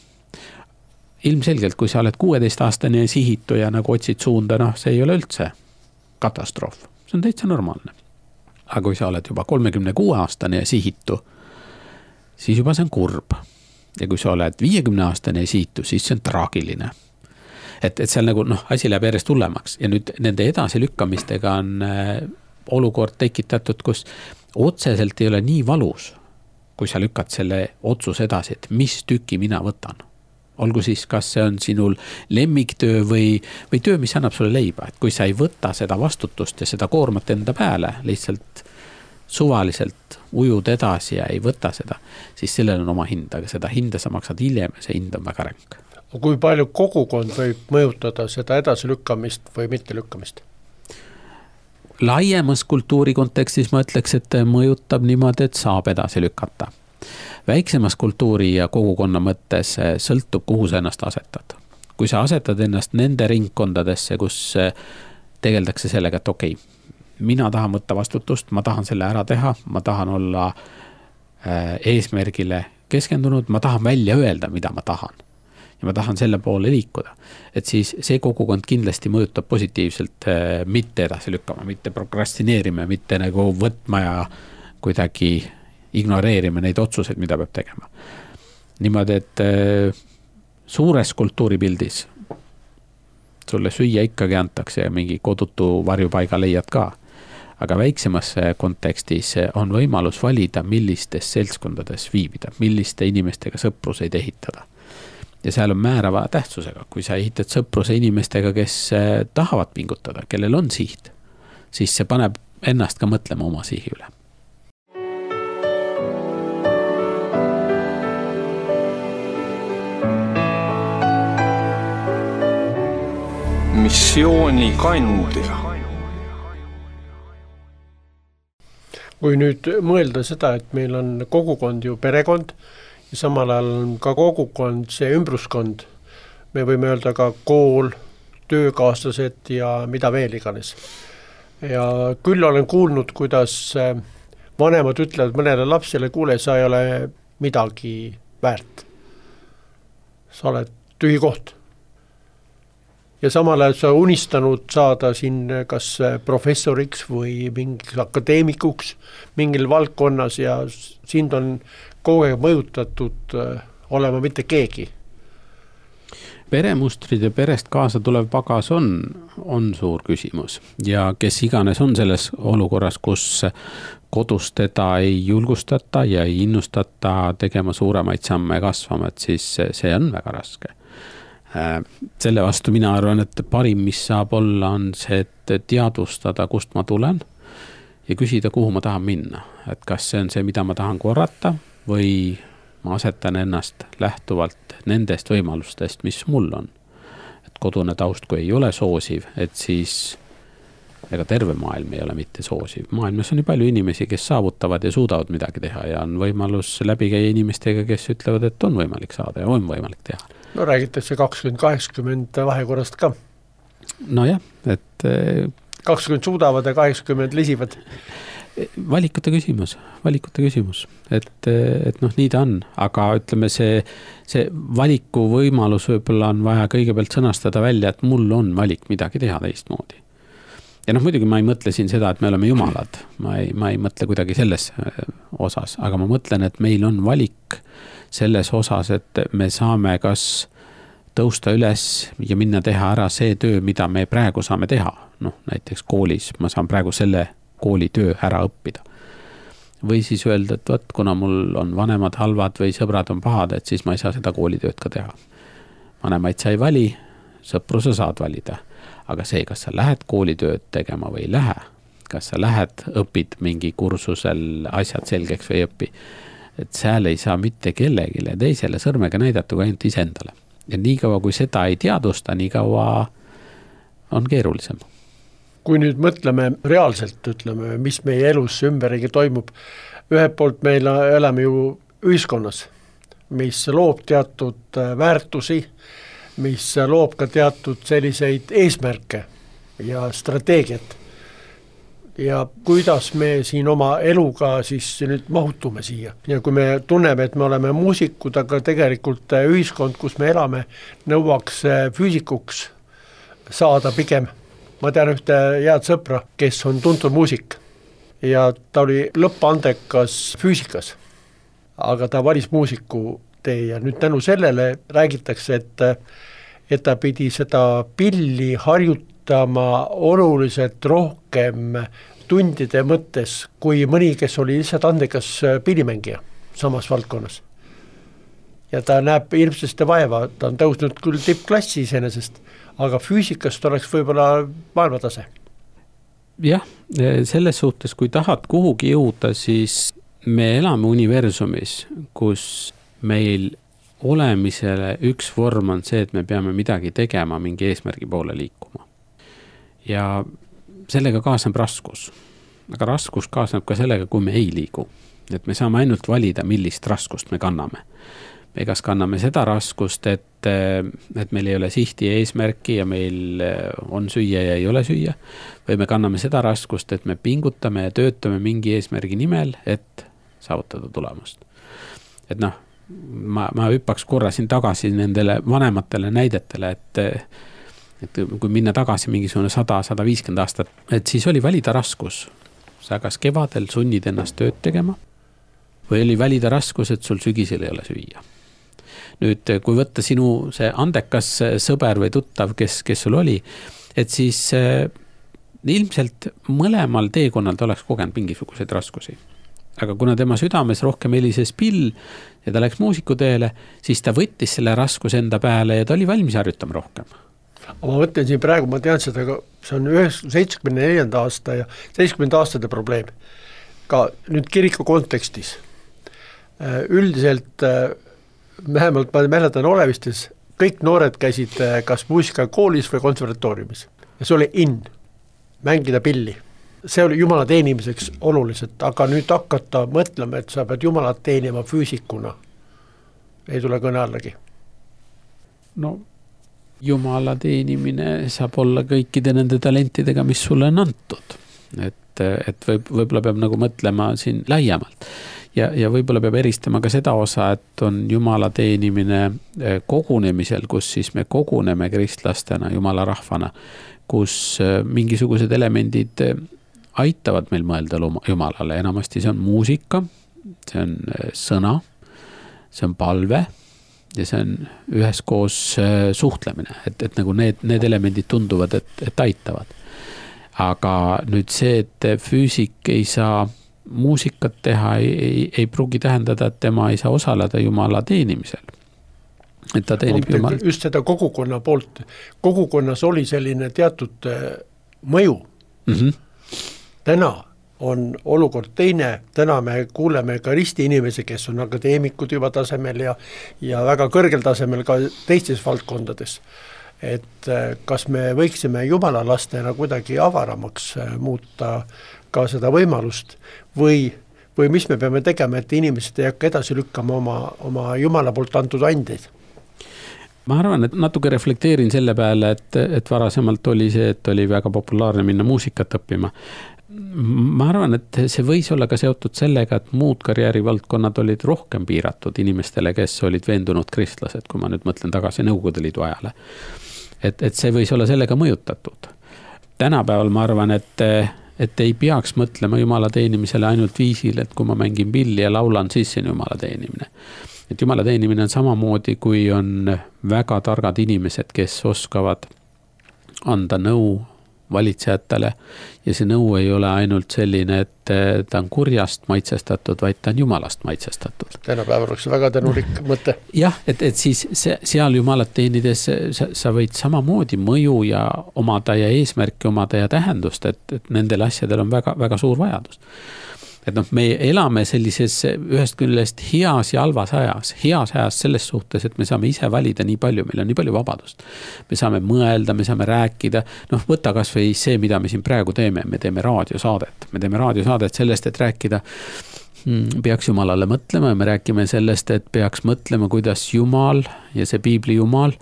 Ilmselgelt, kui sa oled 16-aastane ja sihitu ja nagu otsid suunda, see ei ole üldse katastroof. See on täitsa normaalne. Aga kui sa oled juba 36-aastane ja sihitu, siis juba see on kurb. ja kui sa oled 50-aastane siitu, siis see on traagiline. Et seal nagu asi läheb järjest hullemaks ja nüüd nende edasilükkamistega on olukord tekitatud, kus otseselt ei ole nii valus, kui sa lükkad selle otsuse edasi, et mis tüki mina võtan. Olgu siis, kas see on sinul lemmiktöö või töö, mis annab sulle leiba, et kui sa ei võta seda vastutust ja seda koormat enda pääle, lihtsalt suvaliselt ujud edasi ja ei võta seda, siis sellel on oma hind, aga seda hinda sa maksad hiljem ja see hind on väga ränk. Kui palju kogukond võib mõjutada seda edasilükkamist või mitte lükkamist? Laiemas kultuuri kontekstis ma ütleks, et mõjutab niimoodi, et saab edasi lükata. Väiksemas kultuuri ja kogukonna mõttes sõltub, kuhu sa ennast asetad. Kui sa asetad ennast nende ringkondadesse, kus tegeldakse sellega, et okei, mina tahan võtta vastutust, ma tahan selle ära teha, ma tahan olla eesmärgile keskendunud, ma tahan välja öelda, mida ma tahan. Ja ma tahan selle poole liikuda. Et siis see kogukond kindlasti mõjutab positiivselt mitte edasi lükkama, mitte prokrastineerima, mitte nagu võtma ja kuidagi ignoreerima neid otsuseid, mida peab tegema. Niimoodi, et suures kultuuripildis sulle süüa ikkagi antakse ja mingi kodutu varjupaiga leiad ka. Aga väiksemas kontekstis on võimalus valida, millistes seltskondades viibida, milliste inimestega sõpruseid ehitada. Ja seal on määrava tähtsusega, kui sa ehitad sõpruse inimestega, kes tahavad pingutada, kellel on siht, siis see paneb ennast ka mõtlema oma sihi üle. Missioonikandja. Kui nüüd mõelda seda, et meil on kogukond ju perekond ja samal ajal on ka kogukond see ümbruskond, me võime öelda ka kool, töökaaslased ja mida veel iganes. Ja küll olen kuulnud, kuidas vanemad ütlevad mõnele lapsele, kuule, sa ei ole midagi väärt. Sa oled tühi koht. Ja samal ajal sa unistanud saada siin kas professoriks või mingiks akadeemikuks mingil valdkonnas ja sind on kogu aeg mõjutatud olema mitte keegi. Peremustrid ja perest kaasa tulev pagas on suur küsimus ja kes iganes on selles olukorras, kus kodus teda ei julgustata ja ei innustata tegema suuremaid samme kasvama, et siis see on väga raske. Selle vastu mina arvan, et parim, mis saab olla, on see, et teadvustada, kust ma tulen ja küsida, kuhu ma tahan minna. Et kas see on see, mida ma tahan korrata või ma asetan ennast lähtuvalt nendest võimalustest, mis mul on. Et kodune taust, kui ei ole soosiv, et siis ega terve maailm ei ole mitte soosiv. Maailmas on nii palju inimesi, kes saavutavad ja suudavad midagi teha ja on võimalus läbi käia inimestega, kes ütlevad, et on võimalik saada ja on võimalik teha. No räägitakse 20-80 vahekorrast ka. No jah, et 20 suudavad ja 80 lisivad. Valikute küsimus. Et nii ta on, aga ütleme see valiku võimalus võib-olla on vaja kõigepealt sõnastada välja, et mul on valik midagi teha teistmoodi. Ja muidugi ma ei mõtle siin seda, et me oleme jumalad, ma ei mõtle kuidagi selles osas, aga ma mõtlen, et meil on valik selles osas, et me saame kas tõusta üles ja minna teha ära see töö, mida me praegu saame teha. Näiteks koolis ma saan praegu selle kooli töö ära õppida. Või siis öelda, et võt, kuna mul on vanemad halvad või sõbrad on pahad, et siis ma ei saa seda koolitööd ka teha. Vanemaid sa ei vali, sõpru sa saad valida. Aga see, kas sa lähed koolitööd tegema või ei lähe, kas sa lähed, õpid mingi kursusel asjad selgeks või õpi, et seal ei saa mitte kellegile teisele sõrmega näidata kui ainult iseendale. Ja nii kaua, kui seda ei teadusta, nii kaua on keerulisem. Kui nüüd mõtleme reaalselt, ütleme, mis meie elus ümberigi toimub, ühelt poolt meil elame ju ühiskonnas, mis loob teatud väärtusi, mis loob ka teatud selliseid eesmärke ja strateegiat. Ja kuidas me siin oma eluga siis nüüd mahutume siia. Ja kui me tunneme, et me oleme muusikud, aga tegelikult ühiskond, kus me elame, nõuaks füüsikuks saada pigem. Ma tean ühte head sõpra, kes on tuntud muusik ja ta oli lõppandekas füüsikas, aga ta valis muusiku tee ja nüüd tänu sellele räägitakse, et ta pidi seda pilli harjutama oluliselt rohkem tundide mõttes kui mõni, kes oli lihtsalt andekas pillimängija samas valdkonnas. Ja ta näeb ilmsesti vaeva, ta on tõusnud küll tippklassi iseenesest, aga füüsikast oleks võib-olla maailmatase. Jah, selles suhtes, kui tahad kuhugi jõuda, siis me elame universumis, kus meil olemisele üks vorm on see, et me peame midagi tegema, mingi eesmärgi poole liikuma. Ja sellega kaasneb raskus. Aga raskus kaasneb ka sellega, kui me ei liigu. Et me saame ainult valida, millist raskust me kanname. Me kas kanname seda raskust, et meil ei ole sihti ja eesmärki ja meil on süüa ja ei ole süüa. Või me kanname seda raskust, et me pingutame ja töötame mingi eesmärgi nimel, et saavutada tulemust. Et noh, ma hüppaks korra siin tagasi nendele vanematele näidetele, et kui minna tagasi mingisugune 100-150 aastat, et siis oli valida raskus. Sa kas kevadel sunnid ennast tööd tegema või oli valida raskus, et sul sügisel ei ole süüa. Nüüd, kui võtta sinu see andekas sõber või tuttav, kes sul oli, et siis ilmselt mõlemal teekonnal ta oleks kogenud mingisuguseid raskusi. Aga kuna tema südames rohkem helises pill ja ta läks muusikuteele, siis ta võttis selle raskuse enda peale ja ta oli valmis harjutama rohkem. Ma mõtlen siin praegu, ma tean seda, see on 74. aasta ja 70. aastate probleem. Ka nüüd kiriku kontekstis. Üldiselt, vähemalt ma mäletan Olevistes, kõik noored käisid kas muusikakoolis või konservatooriumis. Ja see oli mängida pilli. See oli jumala teenimiseks oluliselt, aga nüüd hakata mõtlema, et sa pead jumalat teenima füüsikuna. Ei tule kõne allagi. No jumala teenimine saab olla kõikide nende talentidega, mis sulle on antud. Et võib-olla peab nagu mõtlema siin laiemalt. Ja võib-olla peab eristama ka seda osa, et on jumala teenimine kogunemisel, kus siis me koguneme kristlastena, jumala rahvana, kus mingisugused elemendid aitavad meil mõelda jumalale. Enamasti see on muusika, see on sõna, see on palve ja see on üheskoos suhtlemine, et nagu need elemendid tunduvad, et aitavad. Aga nüüd see, et füüsik ei saa muusikat teha, ei pruugi tähendada, et tema ei saa osaleda jumala teenimisel. Et ta teenib jumal. Just seda kogukonna poolt. Kogukonnas oli selline teatud mõju. Täna on olukord teine, täna me kuuleme ka risti inimesi, kes on akadeemikud juba tasemel ja väga kõrgel tasemel ka teistes valdkondades. Et kas me võiksime jumala lastena kuidagi avaramaks muuta ka seda võimalust või mis me peame tegema, et inimesed ei hakka edasi lükkama oma jumala poolt antud andeid? Ma arvan, et natuke reflekteerin selle peale, et varasemalt oli see, et oli väga populaarne minna muusikat õppima. Ma arvan, et see võis olla ka seotud sellega, et muud karjäärivaldkonnad olid rohkem piiratud inimestele, kes olid veendunud kristlased, kui ma nüüd mõtlen tagasi Nõukogude Liidu ajale. Et see võis olla sellega mõjutatud. Tänapäeval ma arvan, et ei peaks mõtlema jumala teenimisele ainult viisil, et kui ma mängin pilli ja laulan, siis see on jumala teenimine. Et jumala teenimine on samamoodi, kui on väga targad inimesed, kes oskavad anda nõu valitsejatele ja see nõu ei ole ainult selline, et ta on kurjast maitsestatud, vaid ta on jumalast maitsestatud. Tänapäeval oleks väga tänulik mõte. Jah, et siis seal jumalat teenides sa võid samamoodi mõju ja omada ja eesmärki omada ja tähendust, et nendel asjadel on väga, väga suur vajadus. Et me elame sellises ühest küljest heas ja halvas ajas. Heas ajas selles suhtes, et me saame ise valida nii palju, meil on nii palju vabadust. Me saame mõelda, me saame rääkida. Võta kas või see, mida me siin praegu teeme. Me teeme raadiosaadet. Me teeme raadiosaadet sellest, et rääkida peaks jumalale mõtlema ja me räägime sellest, et peaks mõtlema, kuidas jumal ja see piibli jumal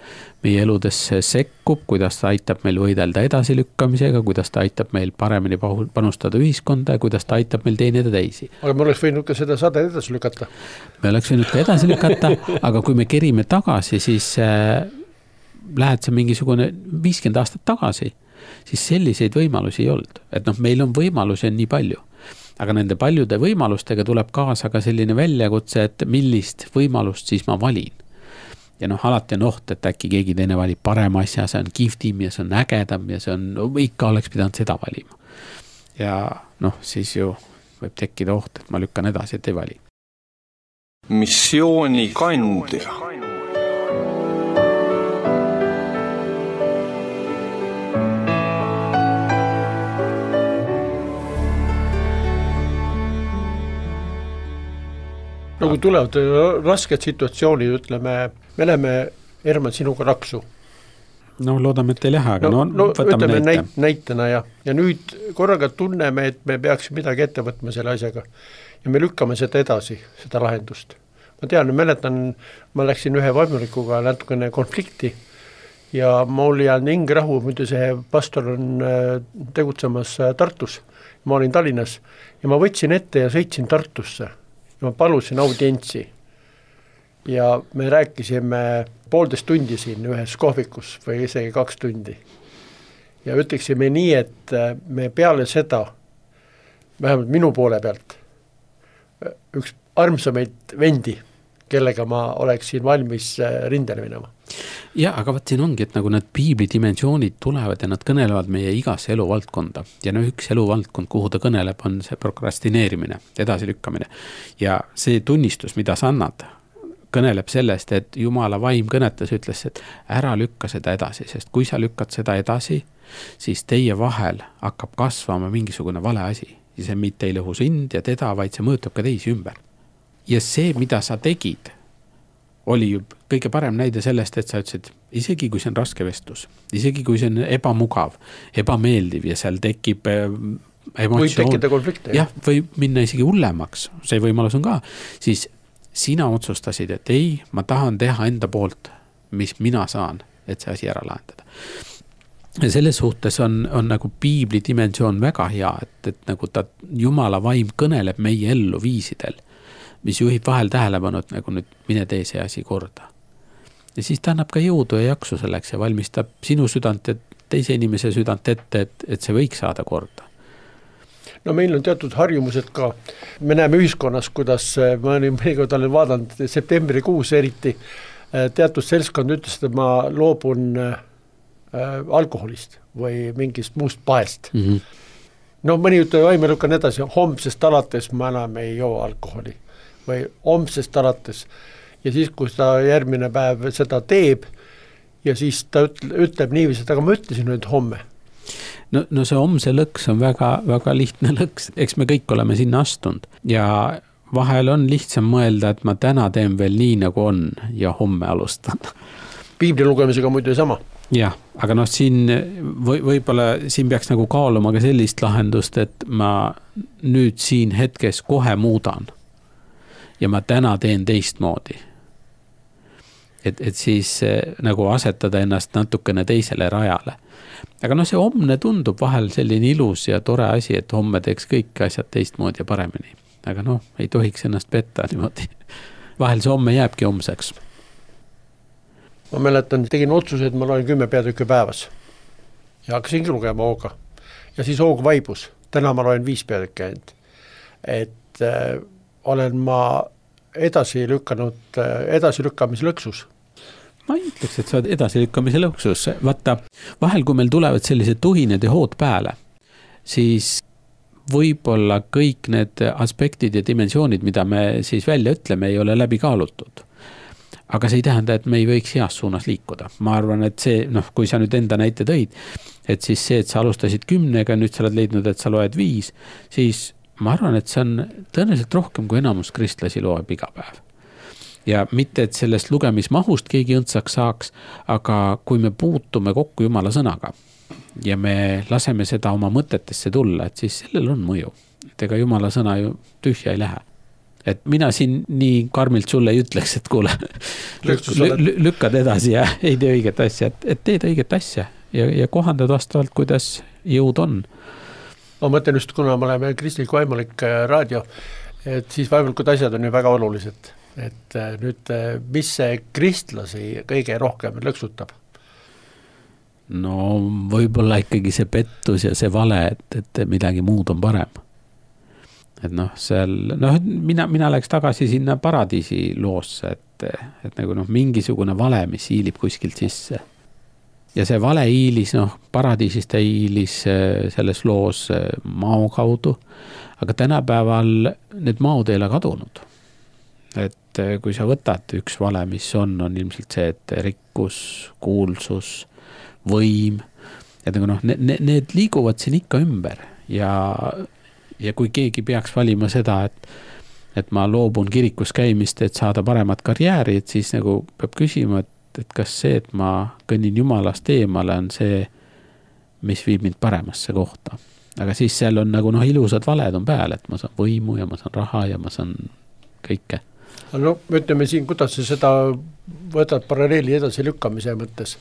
meie eludesse sekkub, kuidas ta aitab meil võidelda edasilükkamisega, kuidas ta aitab meil paremini panustada ühiskonda ja kuidas ta aitab meil teenida teisi. Aga me oleks võinud ka seda saade edasi lükata. Me oleks võinud ka edasi lükata, aga kui me kerime tagasi, siis lähed sa mingisugune 50 aastat tagasi, siis selliseid võimalusi ei olnud. Et meil on võimalusi nii palju. aga nende paljude võimalustega tuleb kaasa ka selline väljakutse, et millist võimalust siis ma valin. Ja alati on oht, et äkki keegi teine valib parema asja, see on kihvtim ja see on ägedam ja see on, ikka oleks pidanud seda valima. Ja siis ju võib tekkida oht, et ma lükkan edasi, et ei vali. Missioonikandja. Kui tulevad rasked situatsioonid, ütleme, me läheme Herman sinuga raksu. Loodame, et ei lähe, aga võtame näitena ja nüüd korraga tunneme, et me peaks midagi ette võtma selle asjaga ja me lükkame seda edasi, seda lahendust. Ma tean, mäletan, ma läksin ühe vaimulikuga natukene konflikti ja mul jäänud Ingrahu, muidu see pastor on tegutsemas Tartus, ma olin Tallinnas ja ma võtsin ette ja sõitsin Tartusse. Ma palusin audientsi ja me rääkisime 1,5 tundi siin ühes kohvikus või isegi 2 tundi. Ja ütleksime nii, et me peale seda, vähemalt minu poole pealt, üks armsamaid vendi, kellega ma oleksin valmis rindele minema. Ja, aga võt siin ongi, et nagu need piibli dimensioonid tulevad ja nad kõnelevad meie igasse eluvaldkonda. Ja üks eluvaldkond, kuhu ta kõneleb, on see prokrastineerimine, edasilükkamine. Ja see tunnistus, mida sa annad, kõneleb sellest, et Jumala vaim kõnetas, ütles, et ära lükka seda edasi, sest kui sa lükkad seda edasi, siis teie vahel hakkab kasvama mingisugune vale asi. Ja see mitte ei lõhu sind ja teda, vaid see mõjutab ka teisi ümber. Ja see, mida sa tegid, oli ju kõige parem näide sellest, et sa ütlesid, isegi kui see on raske vestlus, isegi kui see on ebamugav, ebameeldiv ja seal tekib emotsioon. Võib tekkida konflikte. Jah, võib minna isegi hullemaks, see võimalus on ka. Siis sina otsustasid, et ei, ma tahan teha enda poolt, mis mina saan, et see asi ära lahendada. Ja selles suhtes on nagu piibli dimensioon väga hea, et nagu ta Jumala vaim kõneleb meie ellu viisidel, mis juhib vahel tähelepanu, et nagu nüüd mine tee see asi korda. Ja siis ta annab ka jõudu ja jaksu selleks ja valmistab sinu südant ja teise inimese südant ette, et see võiks saada korda. Meil on teatud harjumused ka. Me näeme ühiskonnas, kuidas ma mõnikord olen vaadanud septembrikuus eriti, teatud selskond ütles, et ma loobun alkoholist või mingist muust paest. Mõni ütleb, ma lükkan edasi, homsest alates ma enam ei joo alkoholi või homsest alates. Ja siis, kui ta järgmine päev seda teeb ja siis ta ütleb niiviisi, et aga ma ütlesin nüüd homme. No see homse lõks on väga, väga lihtne lõks, eks me kõik oleme sinna astunud ja vahel on lihtsam mõelda, et ma täna teen veel nii nagu on ja homme alustan. Piibli lugemisega muidu sama. Jah, aga siin võib-olla siin peaks nagu kaaluma ka sellist lahendust, et ma nüüd siin hetkes kohe muudan ja ma täna teen teistmoodi. Et siis nagu asetada ennast natukene teisele rajale. Aga see homne tundub vahel selline ilus ja tore asi, et homme teeks kõik asjad teistmoodi ja paremini. Aga ei tohiks ennast petta niimoodi. Vahel see homme jääbki homseks. Ma mäletan, tegin otsuse, et ma loen 10 peatükki päevas ja hakkasingi lugema hooga. Ja siis hoog vaibus. Täna ma loen 5 peatükki ainult. Et olen ma edasilükkamise lõksus. Ma ei ütleks, et sa oled edasilükkamise lõksus. Vaata, vahel kui meil tulevad sellised tuhined ja hood pääle, siis võib-olla kõik need aspektid ja dimensioonid, mida me siis välja ütleme, ei ole läbi kaalutud. Aga see ei tähenda, et me ei võiks heas suunas liikuda. Ma arvan, et see, kui sa nüüd enda näite tõid, et siis see, et sa alustasid 10-ga, nüüd sa oled leidnud, et sa loed 5, siis ma arvan, et see on tõenäoliselt rohkem kui enamus kristlasi loeb iga päev. Ja mitte, et sellest lugemismahust keegi õndsaks saaks, aga kui me puutume kokku Jumala sõnaga ja me laseme seda oma mõtetesse tulla, et siis sellel on mõju. Et ega Jumala sõna ju tühja ei lähe. Et mina siin nii karmilt sulle ei ütleks, et kuule, lükkad edasi ja ei tee õiget asja, et teed õiget asja ja kohandad vastavalt, kuidas jõud on. Ma mõtlen just, kuna me oleme kristlik vaimulik raadio, et siis vaimulikud asjad on ju väga olulised. Et nüüd, mis see kristlasi kõige rohkem lõksutab? No võib-olla ikkagi see pettus ja see vale, et midagi muud on parem. et noh, seal, noh, mina läks tagasi sinna Paradiisi loosse, et nagu noh, mingisugune vale, mis hiilib kuskilt sisse. Ja see vale hiilis, noh, Paradiisist ta hiilis selles loos mao kaudu, aga tänapäeval need maod ei ole kadunud. Et kui sa võtad üks vale, mis on ilmselt see, et rikkus, kuulsus, võim, et nagu noh, need liiguvad siin ikka ümber ja kui keegi peaks valima seda, et ma loobun kirikus käimist, et saada paremat karjääri, et siis nagu peab küsima, et kas see, et ma kõnnin Jumalast eemale, on see, mis viib mind paremasse kohta. Aga siis seal on nagu noh, ilusad valed on peal, et ma saan võimu ja ma saan raha ja ma saan kõike. No ütleme siin, kuidas sa seda võtad paralleeli edasi lükkamise mõttes?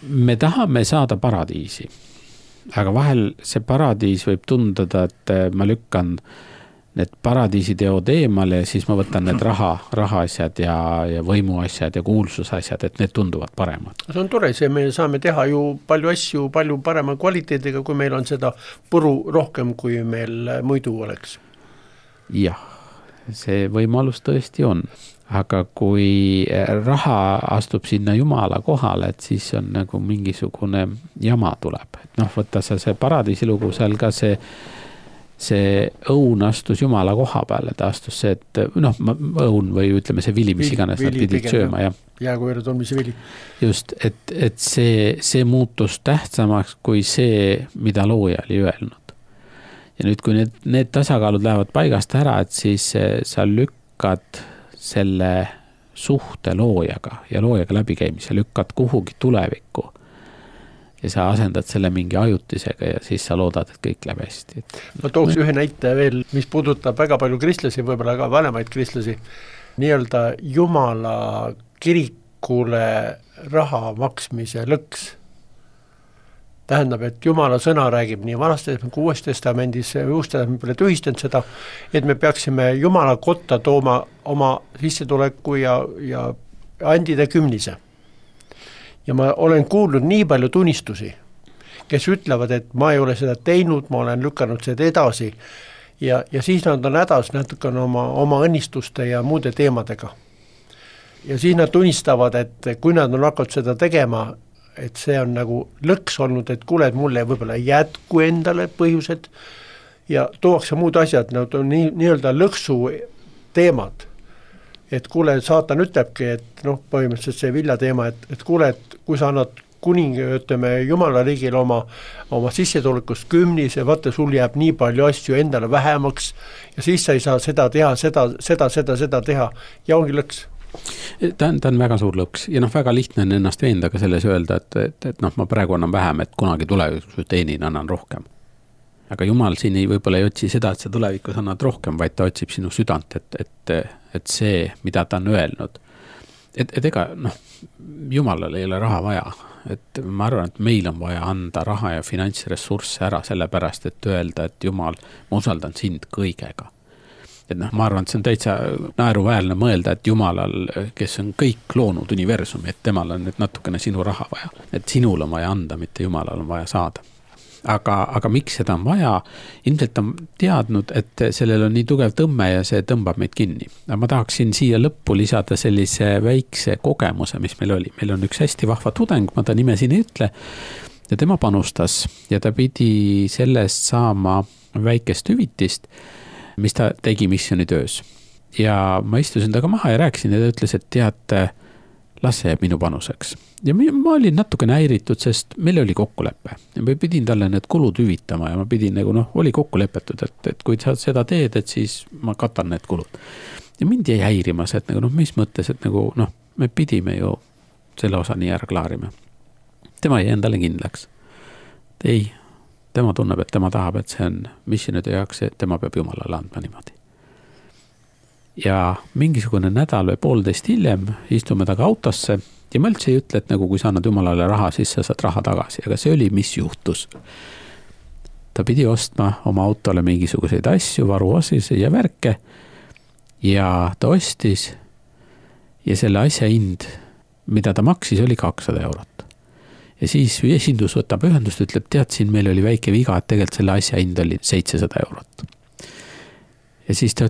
Me tahame saada paradiisi, aga vahel see paradiis võib tundada, et ma lükkan need paradiisiteod eemale ja siis ma võtan need raha asjad ja võimu asjad ja kuulsus asjad, et need tunduvad paremad. See on tore, me saame teha ju palju asju palju parema kvaliteediga, kui meil on seda puru rohkem, kui meil muidu oleks. Jah, see võimalus tõesti on. Aga kui raha astub sinna Jumala kohale, et siis on nagu mingisugune jama tuleb. Et noh, võtta see paradiisilugu seal ka see õun astus Jumala koha peale, ta astus see, et noh, õun või ütleme see vili, mis iganes nad pidid sööma. Jääkoera tolmise vili. Just, et see muutus tähtsamaks kui see, mida looja oli öelnud. Ja nüüd, kui need tasakaalud lähevad paigast ära, et siis sa lükkad selle suhte loojaga ja loojaga läbikäimise, lükkad kuhugi tulevikku ja sa asendad selle mingi ajutisega ja siis sa loodad, et kõik läheb hästi. Ma tooks ühe näite veel, mis puudutab väga palju kristlasi, võib-olla ka vanemaid kristlasi, nii-öelda Jumala kirikule raha maksmise lõks. Tähendab, et Jumala sõna räägib nii Vanas Testamendis kui Uues Testamendis, Uus Testament pole tühistanud seda, et me peaksime Jumala kotta tooma oma sissetuleku ja andida kümnise. Ja ma olen kuulnud nii palju tunnistusi, kes ütlevad, et ma ei ole seda teinud, ma olen lükanud seda edasi ja siis nad on hädas natuke oma õnnistuste ja muude teemadega. Ja siis nad tunnistavad, et kui nad on hakanud seda tegema, et see on nagu lõks olnud, et kuule, et mulle võib-olla jätku endale põhjused ja tuuakse muud asjad, nad on nii-öelda lõksu teemad. Et kuule, saatan ütlebki, et noh, põhimõtteliselt see vilja teema, et kuule, et kui sa annad kuningi, ütleme, Jumala riigil oma sissetulekust 10, vaata, sul jääb nii palju asju endale vähemaks ja siis sa ei saa seda teha, seda teha ja ongi lõks. Ta on väga suur lõks ja noh, väga lihtne on ennast veenda ka selles öelda, et noh, ma praegu annan vähem, et kunagi tulevikus teenin, annan rohkem. Aga Jumal siin võib-olla ei otsi seda, et sa tulevikus annad rohkem, vaid ta otsib sinu südant, et see, mida ta on öelnud. Et ega noh, Jumalal ei ole raha vaja. Et ma arvan, et meil on vaja anda raha ja finantsressursse ära sellepärast, et öelda, et Jumal, ma usaldan sind kõigega. Et noh, ma arvan, et see on täitsa naeruväärne mõelda, et Jumalal, kes on kõik loonud universumi, et temal on nüüd natukene sinu raha vaja. Et sinul on vaja anda, mitte Jumalal on vaja saada. Aga miks seda on vaja? Ilmselt on teadnud, et sellel on nii tugev tõmme ja see tõmbab meid kinni. Ma tahaksin siia lõppu lisada sellise väikse kogemuse, mis meil oli. Meil on üks hästi vahva tudeng, ma ta nime siin ei ütle, ja tema panustas ja ta pidi sellest saama väikest hüvitist, mis ta tegi missioonitöös. Ja ma istusin taga maha ja rääkisin ja ta ütles, et tead, las see jääb minu panuseks. Ja ma olin natuke häiritud, sest meil oli kokkulepe. Ja ma pidin talle need kulud hüvitama ja ma pidin nagu noh, oli kokkulepetud, et kui sa seda teed, et siis ma katan need kulud. Ja mind jäi häirimas, et nagu noh, mis mõttes, et nagu noh, me pidime ju selle osa nii ära klaarima. Tema jäi endale kindlaks. Ei, tema tunneb, et tema tahab, et see on missioonide jaoks, et tema peab Jumalale andma niimoodi. Ja mingisugune nädal või 1,5 hiljem istume taga autosse ja ma üldse ei ütle, et nagu kui sa annad Jumalale raha, siis sa saad raha tagasi, aga see oli, mis juhtus. Ta pidi ostma oma autole mingisuguseid asju, varuosis ja värke ja ta ostis ja selle asja hind, mida ta maksis, oli 200 eurot. Ja siis esindus võtab ühendust, ütleb, tead, siin meil oli väike viga, et tegelikult selle asja hind oli 700 eurot. Ja siis ta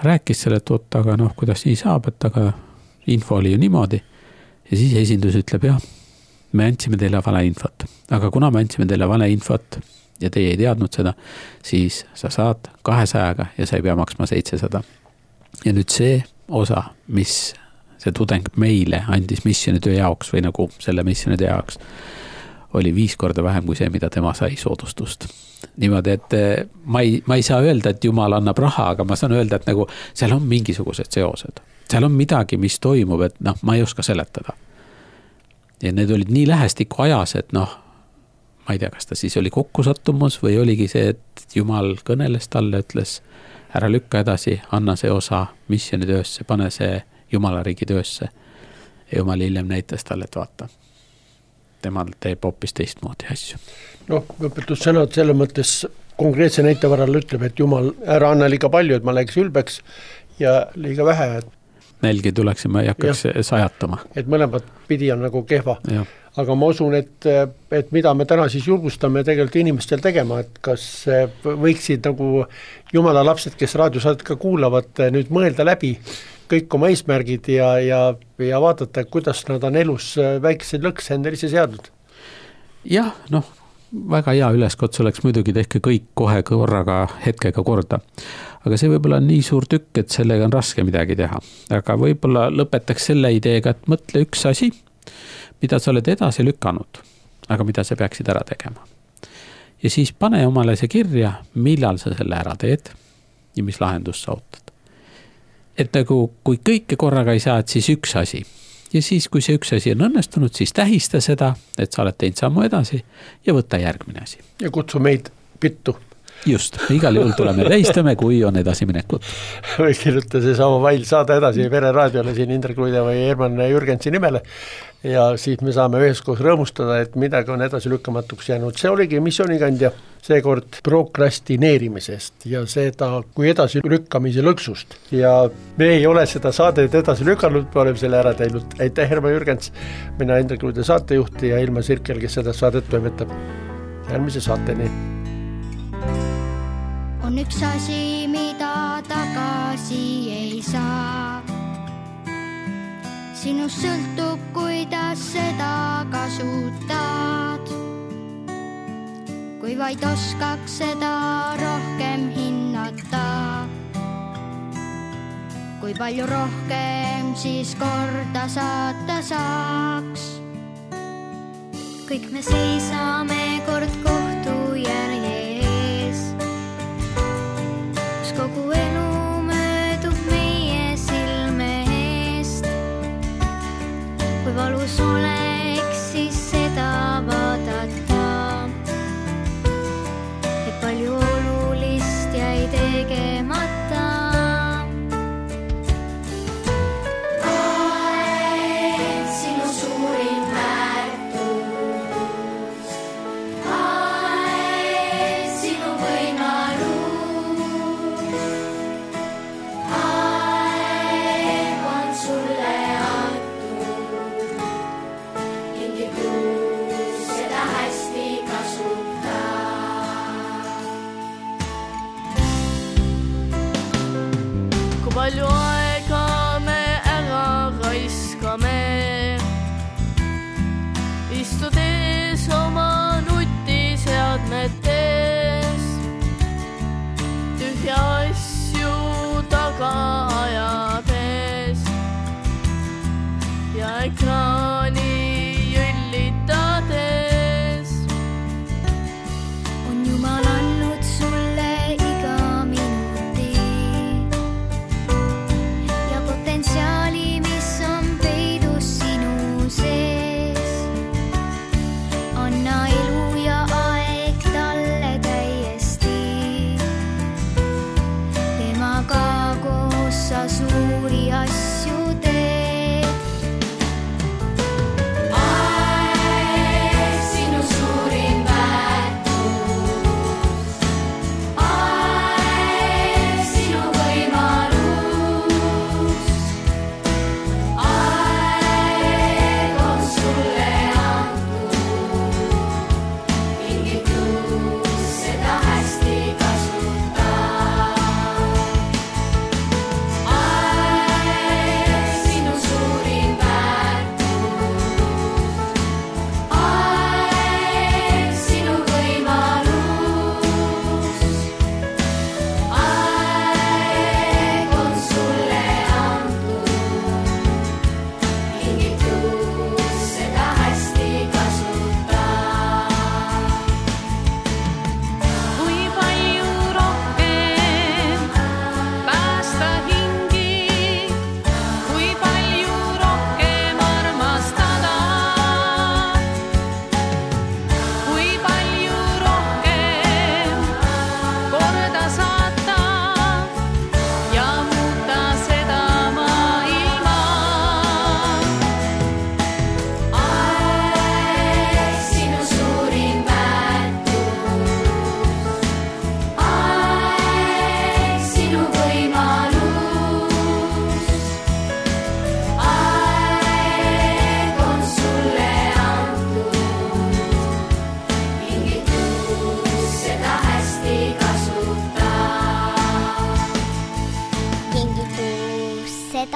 rääkis selle, et oot, aga noh, kuidas nii saab, et aga info oli ju niimoodi. Ja siis esindus ütleb, jah, me andsime teile valeinfot. Aga kuna me andsime teile valeinfot ja teie ei teadnud seda, siis sa saad 200 ja sa ei pea maksma 700. Ja nüüd see osa, mis see tudeng meile andis missionitöö jaoks või nagu selle missionitöö jaoks, oli 5 korda vähem kui see, mida tema sai soodustust. Niimoodi, et ma ei saa öelda, et Jumal annab raha, aga ma saan öelda, et nagu seal on mingisugused seosed. Seal on midagi, mis toimub, et noh, ma ei oska seletada. Ja need olid nii lähestikku ajas, et noh, ma ei tea, kas ta siis oli kokkusattumus või oligi see, et Jumal kõneles talle, ütles, ära lükka edasi, anna see osa missionitöösse, pane see Jumala riigi töösse. Ja Jumal hiljem näitas talle, et vaata, temal teeb hoopis teistmoodi asju. Noh, õpetussõnad selle mõttes konkreetse näite varal ütleb, et Jumal ära anna liiga palju, et ma läheks ülbeks ja liiga vähe. Nälgi tuleksime ja hakkaks sajatama. Et mõlemad pidi on nagu kehva. Ja. Aga ma usun, et mida me täna siis julgustame tegelikult inimestel tegema, et kas võiksid nagu Jumala lapsed, kes raadiosaadet ka kuulavad, nüüd mõelda läbi kõik oma eesmärgid ja vaadata, kuidas nad on elus väikeseid lõkse endale ise seadnud. Jah, noh, väga hea üleskutse oleks muidugi tehke kõik kohe korraga hetkega korda. Aga see võib-olla on nii suur tükk, et sellega on raske midagi teha. Aga võib-olla lõpetaks selle ideega, et mõtle üks asi, mida sa oled edasi lükanud, aga mida sa peaksid ära tegema. Ja siis pane omale see kirja, millal sa selle ära teed ja mis lahendus sa ootad. Et nagu kui kõike korraga ei saa, et siis üks asi. Ja siis, kui see üks asi on õnnestunud, siis tähista seda, et sa oled teinud sammu edasi ja võtta järgmine asi. Ja kutsu meid pittu. Just, igal juhul tuleme tähistame, kui on edasi minekut. Või kirjuta see sama vail saada edasi Vere raadiole siin Indrek Luide või Herman Jürgensi nimele ja siis me saame üheskoos rõõmustada, et midagi on edasi lükkamatuks jäänud. See oligi missioonikandja seekord prokrastineerimisest ja seda kui edasi lükkamise lõksust. Ja me ei ole seda saadet edasi lükanud, me oleme selle ära teinud. Aitäh, Herman Jürgens, mina Indrek Luide saatejuht ja Ilma Sirkel, kes seda saadet toimetab. Järgmise saateni. On üks asi, mida tagasi ei saa. Sinust sõltub, kuidas seda kasutad. Kui vaid oskaks seda rohkem hinnata. Kui palju rohkem siis korda saata saaks. Kõik me seisame kord kohtu järje. Kogu elu möödub meie silme eest. Kui valus oleks, siis seda vaadata. Et palju olulist jäi tegemata. Aeg, sinu suurim väärtus. Aeg, sinu võimalus. Palju aega me ära raiskame, istudes oma nutiseadmetes, tühja asju taga ajades ja ekraani jõllitades. On Jumal andnud sulle iga minuti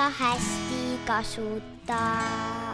hästi kasuta.